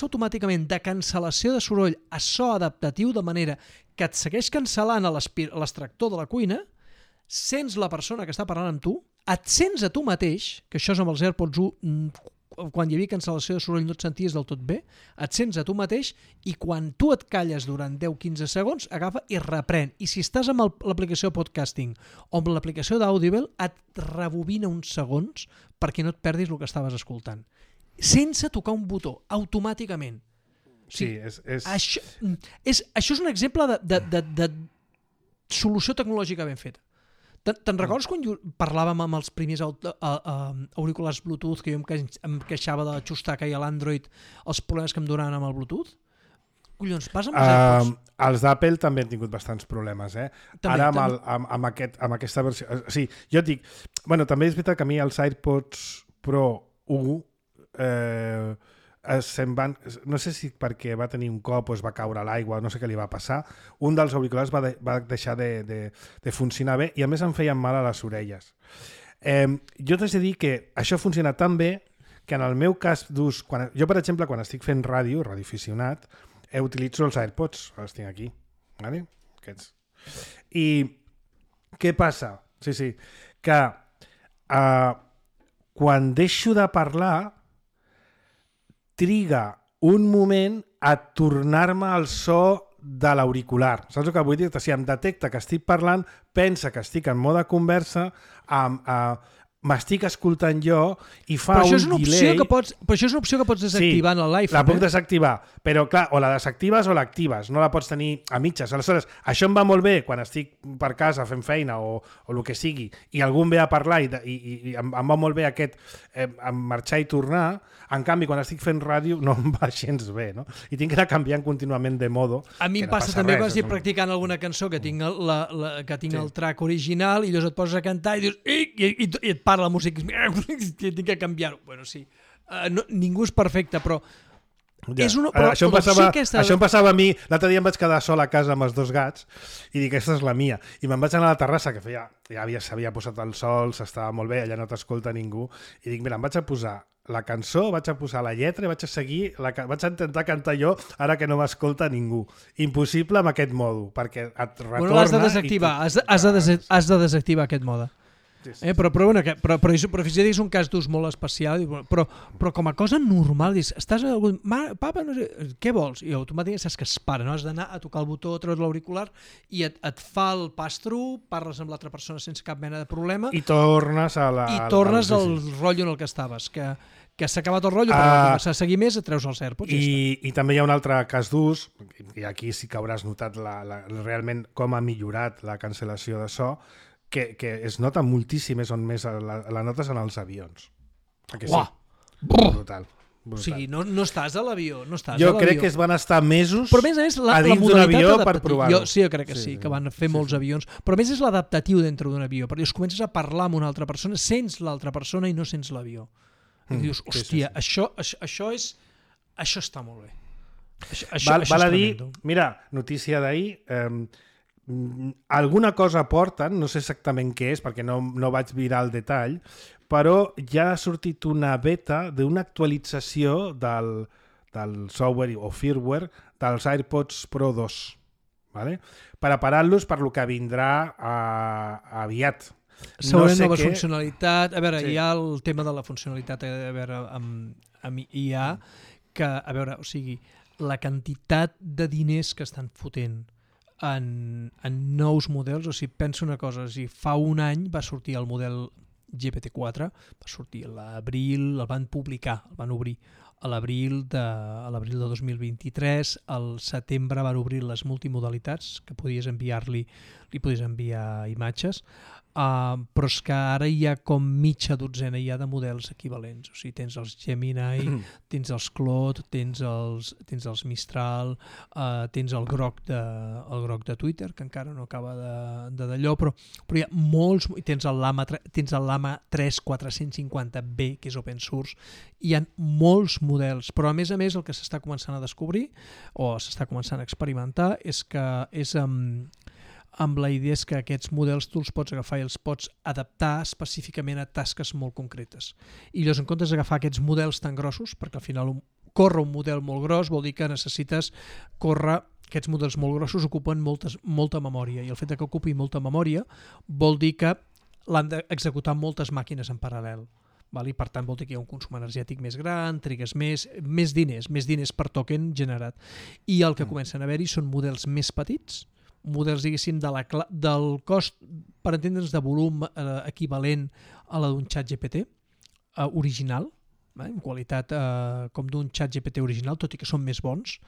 automàticament de cancel·lació de soroll a so adaptatiu, de manera que et segueix cancel·lant l'extractor de la cuina, sents la persona que està parlant amb tu, et sents a tu mateix, que això és amb els AirPods quan hi havia cancel·lació de soroll no et senties del tot bé, et sents a tu mateix i quan tu et calles durant 10-15 segons, agafa i reprèn. I si estàs amb l'aplicació de podcasting o amb l'aplicació d'Audible, et rebobina uns segons perquè no et perdis el que estaves escoltant. Sense tocar un botó, automàticament. Sí, Això és un exemple de solució tecnològica ben feta. Te'n recordes quan parlàvem amb els primers auriculars Bluetooth que jo em queixava de la xustaca i a l'Android els problemes que em donaven amb el Bluetooth? Collons, vas amb els AirPods? Els d'Apple també han tingut bastants problemes, També, Ara amb aquesta versió... Sí, jo et dic... Bueno, també és veritat que a mi els AirPods Pro 1 se'n van... No sé si perquè va tenir un cop o es va caure a l'aigua, no sé què li va passar, un dels auriculars va deixar de funcionar bé i a més em feien mal a les orelles. Jo t'haig de dir que això funciona tan bé que en el meu cas d'ús... Jo, per exemple, quan estic fent ràdio, radioaficionat, utilitzo els AirPods, els tinc aquí, vale? Aquests. I què passa? Sí, que quan deixo de parlar triga un moment a tornar-me al so de l'auricular. Saps el que vull dir? Si em detecta que estic parlant, pensa que estic en mode conversa, m'estic escoltant jo i fa un delay... Però això és una opció que pots desactivar en l'iPhone. La puc desactivar, però clar, o la desactives o l'actives, no la pots tenir a mitges. Aleshores, això em va molt bé quan estic per casa fent feina o el que sigui i algú em ve a parlar i em va molt bé aquest marxar i tornar. En canvi, quan estic fent ràdio no em va gens bé, no? I tinc que anar canviant contínuament de modo. A mi em passa també quan estic practicant alguna cançó que tinc el track original i llavors et poses a cantar i dius i et parla la música i tinc que canviar-ho. Bueno, sí. Ningú és perfecte, però... Ja. Això em passava a mi. L'altre dia em vaig quedar sol a casa amb els 2 gats i dic, aquesta és la mia. I me'n vaig anar a la terrassa, que s'havia posat el sol, s'estava molt bé, allà no t'escolta ningú. I dic, mira, em vaig a posar la cançó, vaig a posar la lletra i vaig a seguir, vaig a intentar cantar jo ara que no m'escolta ningú. Impossible amb aquest mòdul, perquè et retorna... Bueno, l'has de desactivar, has de desactivar aquest mode. Sí. Però és un cas d'ús molt especial, però com a cosa normal, dius, estàs a algun... Papa, no sé, què vols? I automàticament saps que es para, no? Has d'anar a tocar el botó, treure l'auricular i et fa el pass-through, parles amb l'altra persona sense cap mena de problema i tornes al rotllo en el que estaves, que s'ha acabat el rotllo, però començar a seguir més et treus els AirPods. I també hi ha un altre cas d'ús, i aquí sí que hauràs notat realment com ha millorat la cancel·lació de so, que es nota moltíssim, és on més la notes en els avions. Sí? Brutal. O sigui, no estàs a l'avió. Jo crec que es van estar mesos a dins d'un avió per provar-ho. Sí, jo crec que sí, que van fer molts avions. Però a més és l'adaptatiu dintre d'un avió, perquè comences a parlar amb una altra persona, sents l'altra persona i no sents l'avió. I dius, hòstia, això està molt bé. Val a dir, mira, notícia d'ahir, alguna cosa porten, no sé exactament què és, perquè no vaig mirar el detall, però ja ha sortit una beta d'una actualització del software o firmware dels AirPods Pro 2, ¿vale? Preparant-los per lo que vindrà aviat. Segurament nova funcionalitat. A veure, hi ha el tema de la funcionalitat amb IA, que, a veure, o sigui, la quantitat de diners que estan fotent en nous models, o sigui, penso una cosa, o sigui, fa un any va sortir el model GPT-4, va sortir a l'abril, el van publicar, el van obrir a l'abril de 2023, al setembre van obrir les multimodalitats, que li podies enviar imatges, però és que ara hi ha com mitja dotzena ja de models equivalents. O sigui, tens els Gemini, tens els Claude, tens els Mistral, tens el groc de Twitter, que encara no acaba d'allò, però hi ha molts, tens el Lama 3 450B, que és open source, hi ha molts models, però a més el que s'està començant a descobrir o s'està començant a experimentar és que és amb la idea és que aquests models tu els pots agafar i els pots adaptar específicament a tasques molt concretes. I llavors, en comptes d'agafar aquests models tan grossos, perquè al final córrer un model molt gros vol dir que necessites córrer. Aquests models molt grossos ocupen molta memòria, i el fet que ocupi molta memòria vol dir que l'han d'executar moltes màquines en paral·lel. i per tant vol dir que hi ha un consum energètic més gran, trigues més diners per token generat. I el que comencen a haver-hi són models més petits, models, diguéssim, del cost, per entendre'ns, de volum equivalent a la d'un xat GPT original, en qualitat com d'un xat GPT original, tot i que són més bons,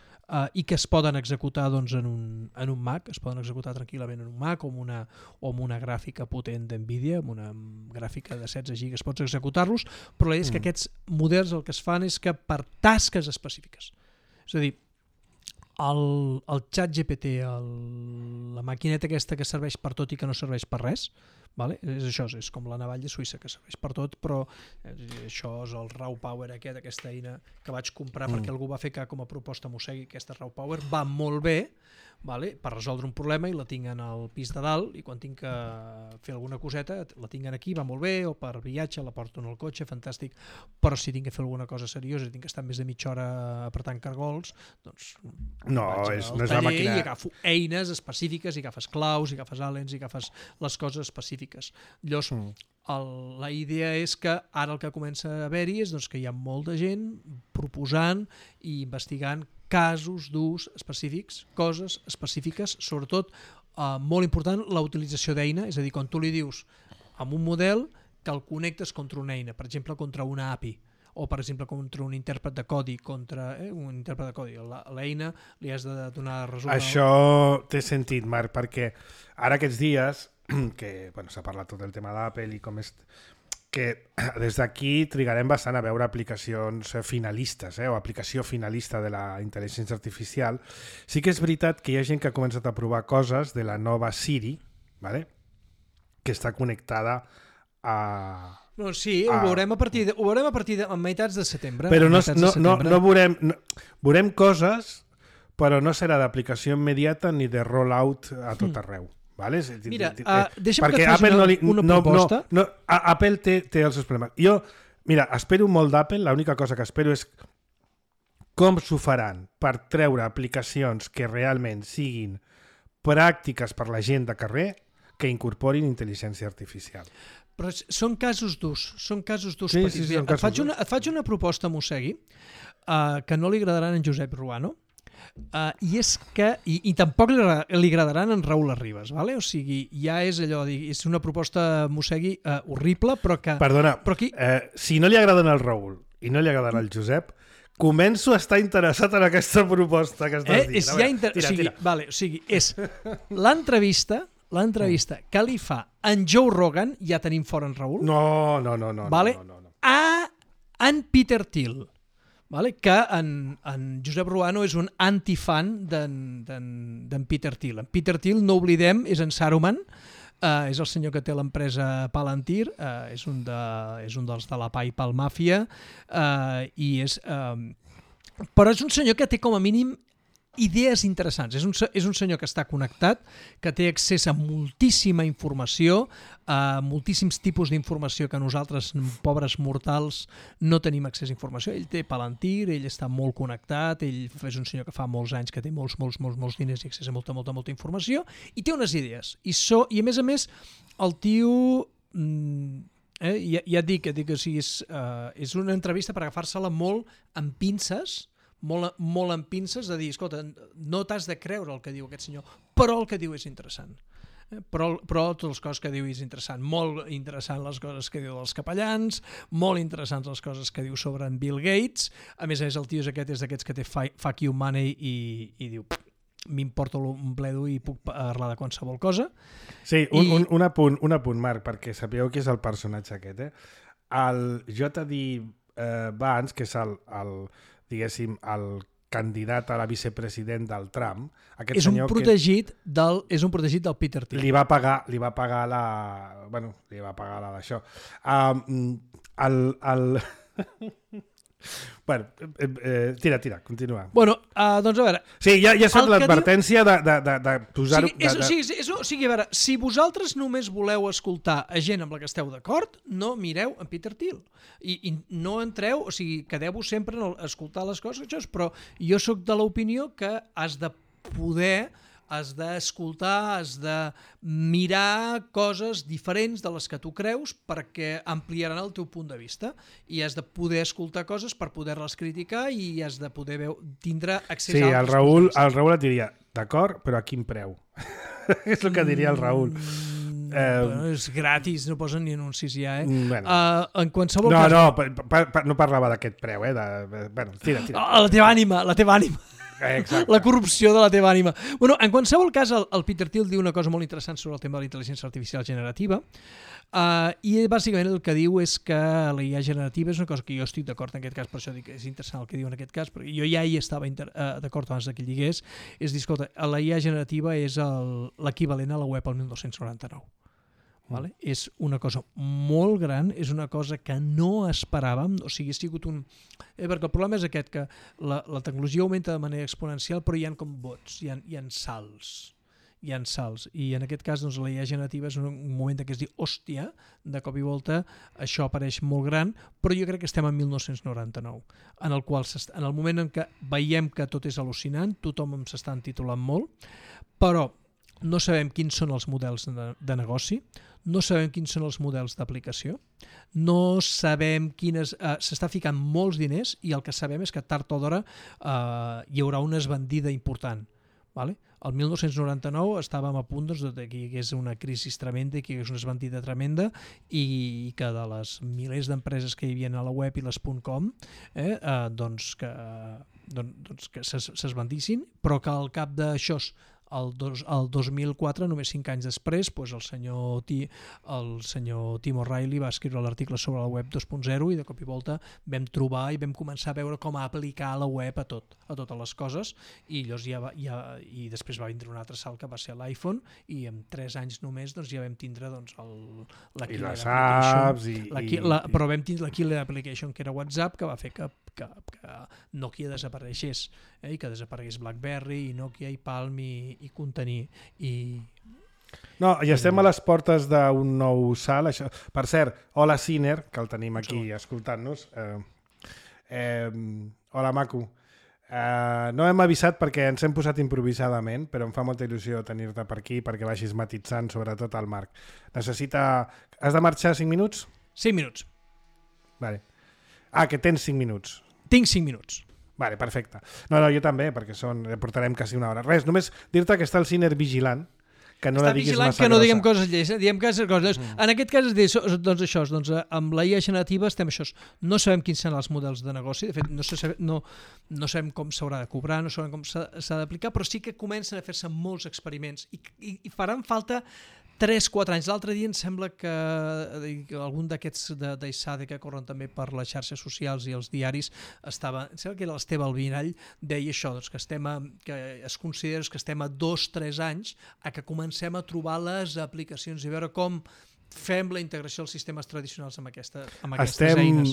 i que es poden executar doncs, en un Mac, es poden executar tranquil·lament en un Mac o amb una gràfica potent d'NVIDIA, amb una gràfica de 16 gigas pots executar-los, però la idea és que aquests models el que es fan és que per tasques específiques. És a dir, el xat GPT, la maquineta aquesta que serveix per tot i que no serveix per res, és això, és com la navalla suïssa que serveix per tot, però això és el Raw Power aquesta eina que vaig comprar perquè algú va fer que com a proposta m'ho segui, aquesta Raw Power va molt bé per resoldre un problema i la tinc en el pis de dalt i quan tinc que fer alguna coseta la tinc aquí, va molt bé, o per viatge la porto en el cotxe, fantàstic, però si tinc que fer alguna cosa seriosa, tinc que estar més de mitja hora apretant cargols, doncs no és la màquina... i agafo eines específiques, i agafes claus, i agafes alens, i agafes les coses específiques. Llavors, la idea és que ara el que comença a haver-hi és doncs, que hi ha molta gent proposant i investigant casos d'ús específics, coses específiques, sobretot molt important la utilització d'eina, és a dir, quan tu li dius amb un model que el connectes contra una eina, per exemple contra una API, o per exemple contra un intèrpret de codi, l'eina li has de donar resum. Això té sentit, Marc, perquè ara aquests dies que s'ha parlat tot el tema d'Apple i com és que des d'aquí trigarem bastant a veure aplicacions finalistes o aplicació finalista de la intel·ligència artificial. Sí que és veritat que hi ha gent que ha començat a provar coses de la nova Siri, que està connectada a... No, sí, ho veurem a partir de meitats de setembre. Però no veurem coses, però no serà d'aplicació immediata ni de rollout a tot arreu. Mira, deixa'm que et faci una proposta. Apple té els seus problemes. Jo, mira, espero molt d'Apple, l'única cosa que espero és com s'ho faran per treure aplicacions que realment siguin pràctiques per la gent de carrer que incorporin intel·ligència artificial. Però són casos d'ús, petits. Sí, et faig una proposta, Mossegui, que no li agradaran a en Josep Ruano, i és que i tampoc li agradaran en Raül Arribas, o sigui, ja és allò, és una proposta, Mossegui, horrible, però que... Perdona, si no li agraden al Raül i no li agraden al Josep, començo a estar interessat en aquesta proposta que estàs dient. Tira. O sigui, és l'entrevista que li fa en Joe Rogan, ja tenim fora en Raül, a en Peter Thiel, que en Josep Ruano és un antifan d'en Peter Thiel. En Peter Thiel, no oblidem, és en Saruman, és el senyor que té l'empresa Palantir, és un dels de la PayPal Màfia, però és un senyor que té com a mínim idees interessants. És un senyor que està connectat, que té accés a moltíssima informació, a moltíssims tipus d'informació que nosaltres, pobres mortals, no tenim accés a informació. Ell té Palantir, ell està molt connectat, ell és un senyor que fa molts anys que té molts diners i accés a molta informació, i té unes idees. I a més, el tio... ja et dic, és una entrevista per agafar-se-la molt amb pinces, molt amb pinces, de dir, escolta, no t'has de creure el que diu aquest senyor, però el que diu és interessant. Però totes les coses que diu és interessant. Molt interessant les coses que diu dels capellans, molt interessants les coses que diu sobre en Bill Gates. A més, el tio és d'aquests que té fuck you money i diu, m'importa un bledo i puc parlar de qualsevol cosa. Sí, un apunt, Marc, perquè sapigueu qui és el personatge aquest. El J.D. Vance, que és diguéssim, el candidat a la vicepresident del Trump, és un protegit del Peter Thiel. Li va pagar la d'això. Bueno, tira, continua. Bueno, doncs a veure... Sí, ja es fa l'advertència de posar-ho... O sigui, a veure, si vosaltres només voleu escoltar a gent amb la que esteu d'acord, no mireu en Peter Thiel. I no entreu, o sigui, quedeu-vos sempre a escoltar les coses, però jo sóc de l'opinió que has de poder has d'escoltar, has de mirar coses diferents de les que tu creus perquè ampliaran el teu punt de vista i has de poder escoltar coses per poder-les criticar i has de poder tindre accés a altres punts de vista. El Raül et diria, d'acord, però a quin preu? És el que diria el Raül. Bueno, és gratis, no posen ni anuncis ja, Bueno. En qualsevol cas... No parlava d'aquest preu, Bueno, tira. La teva ànima. Exacte. La corrupció de la teva ànima. Bueno, en qualsevol cas, el Peter Thiel diu una cosa molt interessant sobre el tema de la intel·ligència artificial generativa i bàsicament el que diu és que la IA generativa és una cosa que jo estic d'acord en aquest cas, per això dic que és interessant el que diu en aquest cas, perquè jo ja hi estava d'acord abans que ell digués, és dir, escolta, la IA generativa és l'equivalent a la web al 1299. Vale? És una cosa molt gran, és una cosa que no esperàvem, o sigui, ha sigut un... perquè el problema és aquest, que la tecnologia augmenta de manera exponencial, però hi ha com bots, hi ha salts. I en aquest cas doncs, la IA generativa és un moment que es diu hòstia, de cop i volta això apareix molt gran, però jo crec que estem en 1999, en el qual en el moment en què veiem que tot és al·lucinant, tothom s'està titulant molt, però no sabem quins són els models de negoci, no sabem quins són els models d'aplicació, no sabem quines... s'està ficant molts diners i el que sabem és que tard o d'hora hi haurà una esbandida important. Vale? El 1999 estàvem a punt doncs, que hi hagués una crisi tremenda i que hi hagués una esbandida tremenda i que de les milers d'empreses que hi havia a la web i les .com doncs que s'esbandissin, però que al cap d'això el 2004, només 5 anys després, doncs el senyor Tim O'Reilly va escriure l'article sobre la web 2.0 i de cop i volta vam trobar i vam començar a veure com aplicar la web a totes les coses i llavors i després va vindre un altre salt que va ser l'iPhone i en 3 anys només doncs, ja vam tindre doncs, la Killer Application. Però vam tindre la Killer Application que era WhatsApp que va fer que Nokia desapareixés i que desaparegués BlackBerry i Nokia i Palm i contenir No, i estem a les portes d'un nou salt. Això. Per cert, hola Ciner, que el tenim aquí escoltant-nos. Hola Maco. No hem avisat perquè ens hem posat improvisadament, però em fa molta il·lusió tenir-te per aquí perquè vagis matitzant sobretot el Marc. Has de marxar 5 minuts? 5 minuts. Vale. Que tens 5 minuts. Tinc 5 minuts. Vale, perfecte. No, jo també, perquè portarem quasi una hora. Res, només dir-te que està el Ciner vigilant, que no la diguis massa grossa. Que no diguem coses lleis, diguem coses grosses. En aquest cas, doncs, amb la IA generativa estem això. No sabem quins seran els models de negoci, de fet, no sabem com s'haurà de cobrar, no sabem com s'ha d'aplicar, però sí que comencen a fer-se molts experiments i faran falta 3-4 anys. L'altre dia em sembla que algun d'aquests d'ISADE que corren també per les xarxes socials i els diaris em sembla que era l'Esteve Albinall, deia això, doncs, que es considera que estem a 2-3 anys a que comencem a trobar les aplicacions i veure com fem la integració als sistemes tradicionals amb aquestes eines.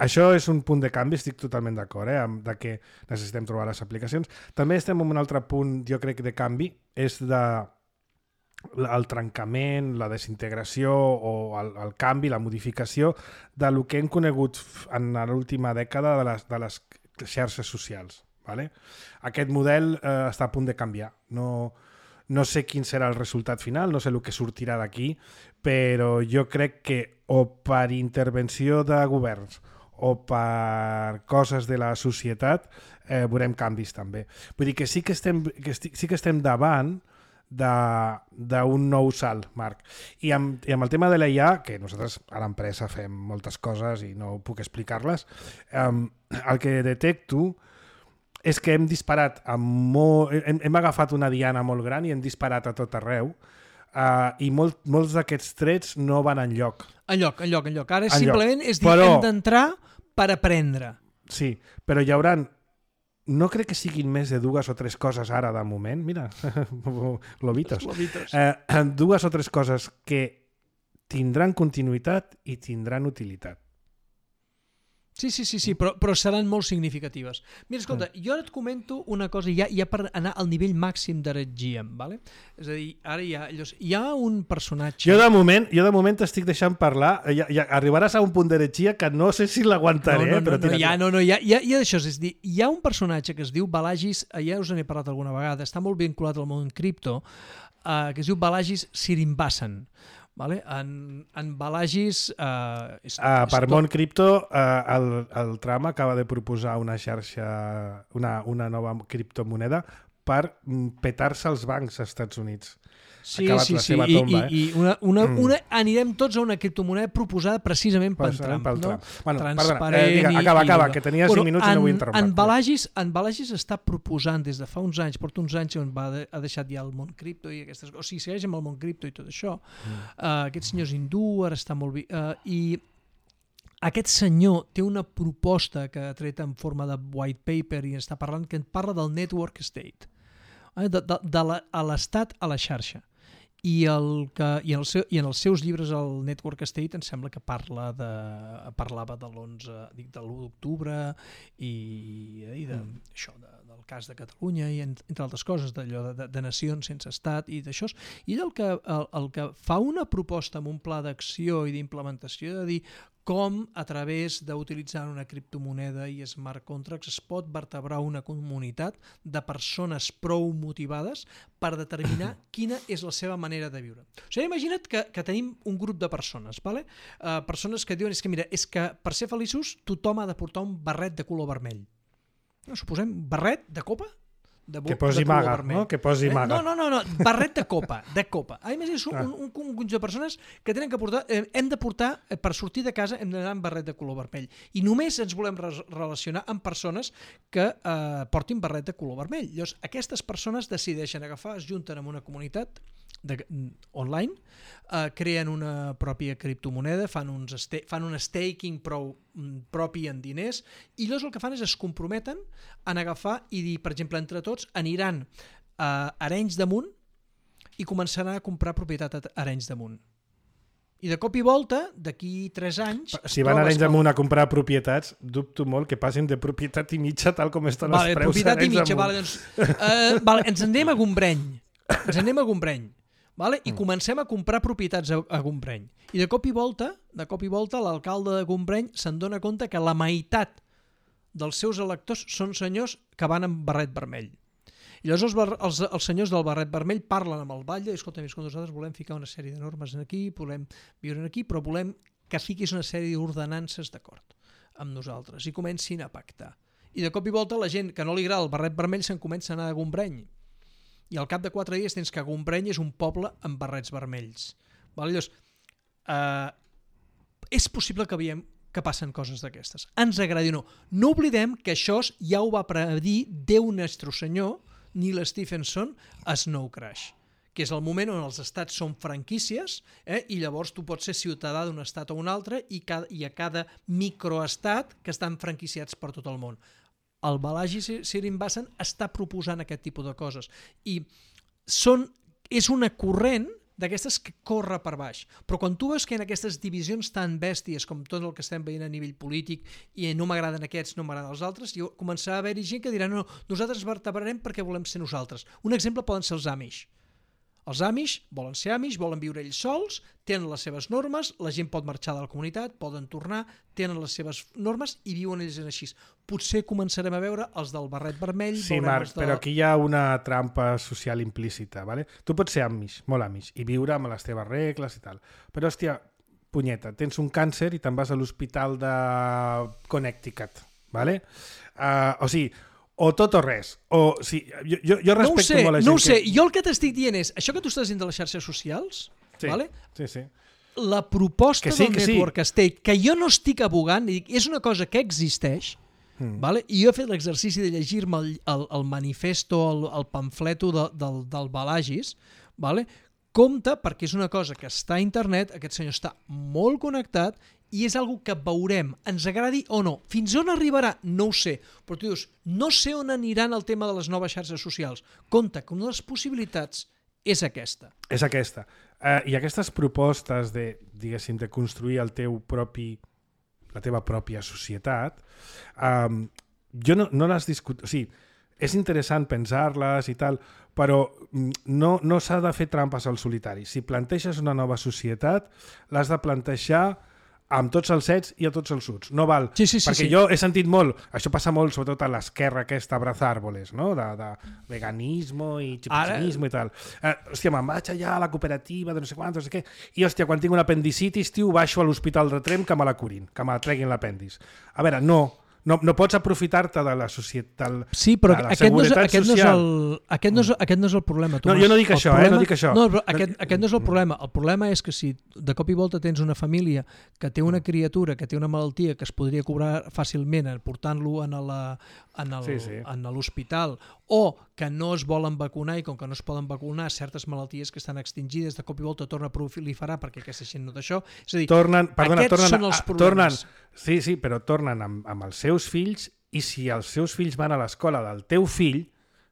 Això és un punt de canvi, estic totalment d'acord, de que necessitem trobar les aplicacions. També estem en un altre punt, jo crec, de canvi, és el trencament, la desintegració o el canvi, la modificació del que hem conegut en l'última dècada de les xarxes socials. Vale? Aquest model està a punt de canviar. No sé quin serà el resultat final, no sé el que sortirà d'aquí, però jo crec que o per intervenció de governs o per coses de la societat veurem canvis també. Vull dir que sí que estem davant d'un nou salt, Marc. I amb el tema de la IA, que nosaltres a l'empresa fem moltes coses i no puc explicar-les, el que detecto és que hem disparat hem agafat una diana molt gran i hem disparat a tot arreu i molts d'aquests trets no van enlloc. Enlloc. Ara simplement és dir, hem d'entrar per aprendre. Sí, però hi haurà... No crec que siguin més de 2 o 3 coses ara de moment. Mira, globitos. 2 o 3 coses que tindran continuïtat i tindran utilitat. Sí, però seran molt significatives. Mira, escolta, jo ara et comento una cosa ja per anar al nivell màxim d'heretgia, ¿vale? És a dir, ara hi ha un personatge... Jo de moment t'estic deixant parlar, ja arribaràs a un punt d'heretgia que no sé si l'aguantaré, però tira. Hi ha d'això, és a dir, hi ha un personatge que es diu Balagis, ja us n'he parlat alguna vegada, està molt vinculat al món cripto, que es diu Balagis Srinivasan. Vale? En Balagis... per món cripto, el Trump acaba de proposar una xarxa, una nova criptomoneda per petar-se els bancs als Estats Units. Sí, la seva tomba, i anirem tots a una criptomoneda proposada precisament per Trump. No? Bueno, transparent. Acaba, que tenia 5 minuts i no vull interrompre. En Balagis està proposant des de fa uns anys, porta uns anys on ha deixat ja el món cripto i aquestes coses, o sigui, segueix amb el món cripto i tot això. Aquest senyor és hindú, ara està molt bé, i aquest senyor té una proposta que ha tret en forma de white paper i està parlant, que parla del network state, de l'estat a la xarxa. I en els seus llibres el Network State em sembla que parlava de l'11 de l'1 d'octubre i d'això, del cas de Catalunya i entre altres coses, d'allò de nacions sense estat i d'això. I ell el que fa una proposta amb un pla d'acció i d'implementació de dir com a través d'utilitzar una criptomoneda i smart contracts es pot vertebrar una comunitat de persones prou motivades per determinar quina és la seva manera de viure. O sigui, imagina't que tenim un grup de persones, ¿vale? Persones que diuen és que per ser feliços tothom ha de portar un barret de color vermell. Suposem barret de copa? Que posi maga, no? Que posi maga. No, barret de copa. Imagina't un conjunt de persones que tenen que portar, hem de portar, per sortir de casa hem d'anar amb barret de color vermell. I només ens volem relacionar amb persones que portin barret de color vermell. Llavors, aquestes persones decideixen agafar, es junten en una comunitat online, creen una pròpia criptomoneda, fan un staking propi en diners, i llavors el que fan és es comprometen en agafar i dir, per exemple, entre tots aniran a Arenys de Munt i començaran a comprar propietat a Arenys de Munt. I de cop i volta, d'aquí 3 anys... Si van a Arenys de Munt a comprar propietats, dubto molt que passin de propietat i mitja tal com estan els preus a Arenys de Munt. Ens anem a Gombreny. Vale? I comencem a comprar propietats a Gombreny. I de cop i volta l'alcalde de Gombreny se'n dona compte que la meitat dels seus electors són senyors que van amb barret vermell. I llavors els senyors del barret vermell parlen amb el batlle i escolta, nosaltres volem ficar una sèrie de normes aquí, volem viure aquí, però volem que fiquis una sèrie d'ordenances d'acord amb nosaltres i comencin a pactar. I de cop i volta la gent que no li agrada el barret vermell se'n comença a anar a Gombreny. I al cap de 4 dies tens que Gombreny és un poble amb barrets vermells. Llavors, és possible que veiem que passen coses d'aquestes. Ens agradi o no. No oblidem que això ja ho va predir Déu Nostre Senyor, Neil Stephenson, a Snow Crash, que és el moment on els estats són franquícies i llavors tu pots ser ciutadà d'un estat o un altre i a cada microestat que estan franquiciats per tot el món. El Balagis Srinivasan està proposant aquest tipus de coses i és una corrent d'aquestes que corre per baix. Però quan tu veus que en aquestes divisions tan bèsties com tot el que estem veient a nivell polític i no m'agraden aquests, no m'agraden els altres, començarà a haver-hi gent que dirà no, nosaltres vertebrarem perquè volem ser nosaltres. Un exemple poden ser els Amish. Els Amish volen ser Amish, volen viure ells sols, tenen les seves normes, la gent pot marxar de la comunitat, poden tornar, tenen les seves normes i viuen ells així. Potser començarem a veure els del barret vermell... Sí, Marc, però aquí hi ha una trampa social implícita, ¿vale? Tu pots ser Amish, molt Amish, i viure amb les teves regles i tal. Però, hòstia, punyeta, tens un càncer i te'n vas a l'hospital de Connecticut, ¿vale? O sigui, o tot o res. Jo respecto molt la gent no ho sé. Jo el que t'estic dient és, això que tu estàs dient de les xarxes socials, sí, vale? Sí. La proposta del Network State, que jo no estic abogant, és una cosa que existeix, vale? I jo he fet l'exercici de llegir-me el manifesto, el pamfleto del Balagis, vale? Compte, perquè és una cosa que està a internet, aquest senyor està molt connectat i és algo que veurem, ens agradi o no. Fins on arribarà? No ho sé. Però tu dius, no sé on aniran el tema de les noves xarxes socials. Compte, que una de les possibilitats és aquesta. És aquesta. I aquestes propostes de, diguéssim, de construir el teu propi la teva pròpia societat, jo no les discuto... O sigui, és interessant pensar-les i tal, però no s'ha de fer trampes al solitari. Si planteges una nova societat, l'has de plantejar amb tots els ets i a tots els uts. No val. Sí, perquè jo he sentit molt, això passa molt sobretot a l'esquerra aquesta abrazar árboles, no? De veganismo i xipixinismo i tal. Hòstia, me'n vaig allà a la cooperativa de no sé quant, no sé què, i hòstia, quan tinc una apendicitis, tio, baixo a l'hospital de Tremp que me la curin, que me la treguin l'apendis. A veure, no pots aprofitar-te de la societat, sí, però de la seguretat social. Aquest no és el problema, Tomàs. No, jo no dic això, no dic això. No, però aquest no és el problema. El problema és que si de cop i volta tens una família que té una criatura, que té una malaltia que es podria cobrar fàcilment portant-lo en l'hospital, o que no es volen vacunar i com que no es poden vacunar certes malalties que estan extingides, de cop i volta torna a proliferar perquè aquesta gent no d'això. És a dir, aquests són els problemes. Sí, però tornen amb els seus fills, i si els seus fills van a l'escola del teu fill,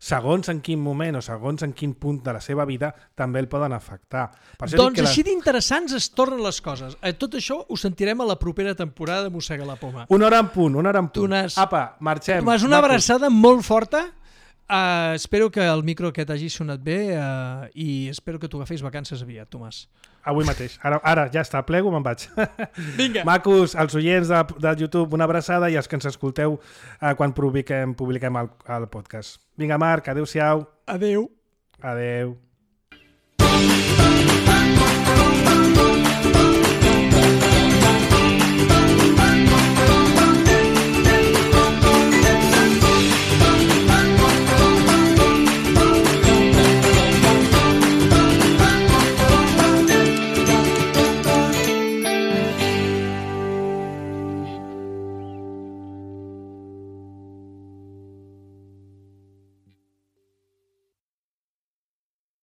segons en quin moment o segons en quin punt de la seva vida també el poden afectar. Doncs així d'interessants es tornen les coses. Tot això ho sentirem a la propera temporada de Mossega la Poma. Una hora en punt. Apa, marxem. Tomàs, una abraçada molt forta. Espero que el micro aquest hagi sonat bé i espero que tu agafis vacances aviat, Tomàs. Avui mateix. Ara ja està, plego, me'n vaig. Vinga. Macos, els oients de YouTube, una abraçada, i els que ens escolteu quan publiquem el podcast. Vinga, Marc, adéu-siau. Adéu. Adéu.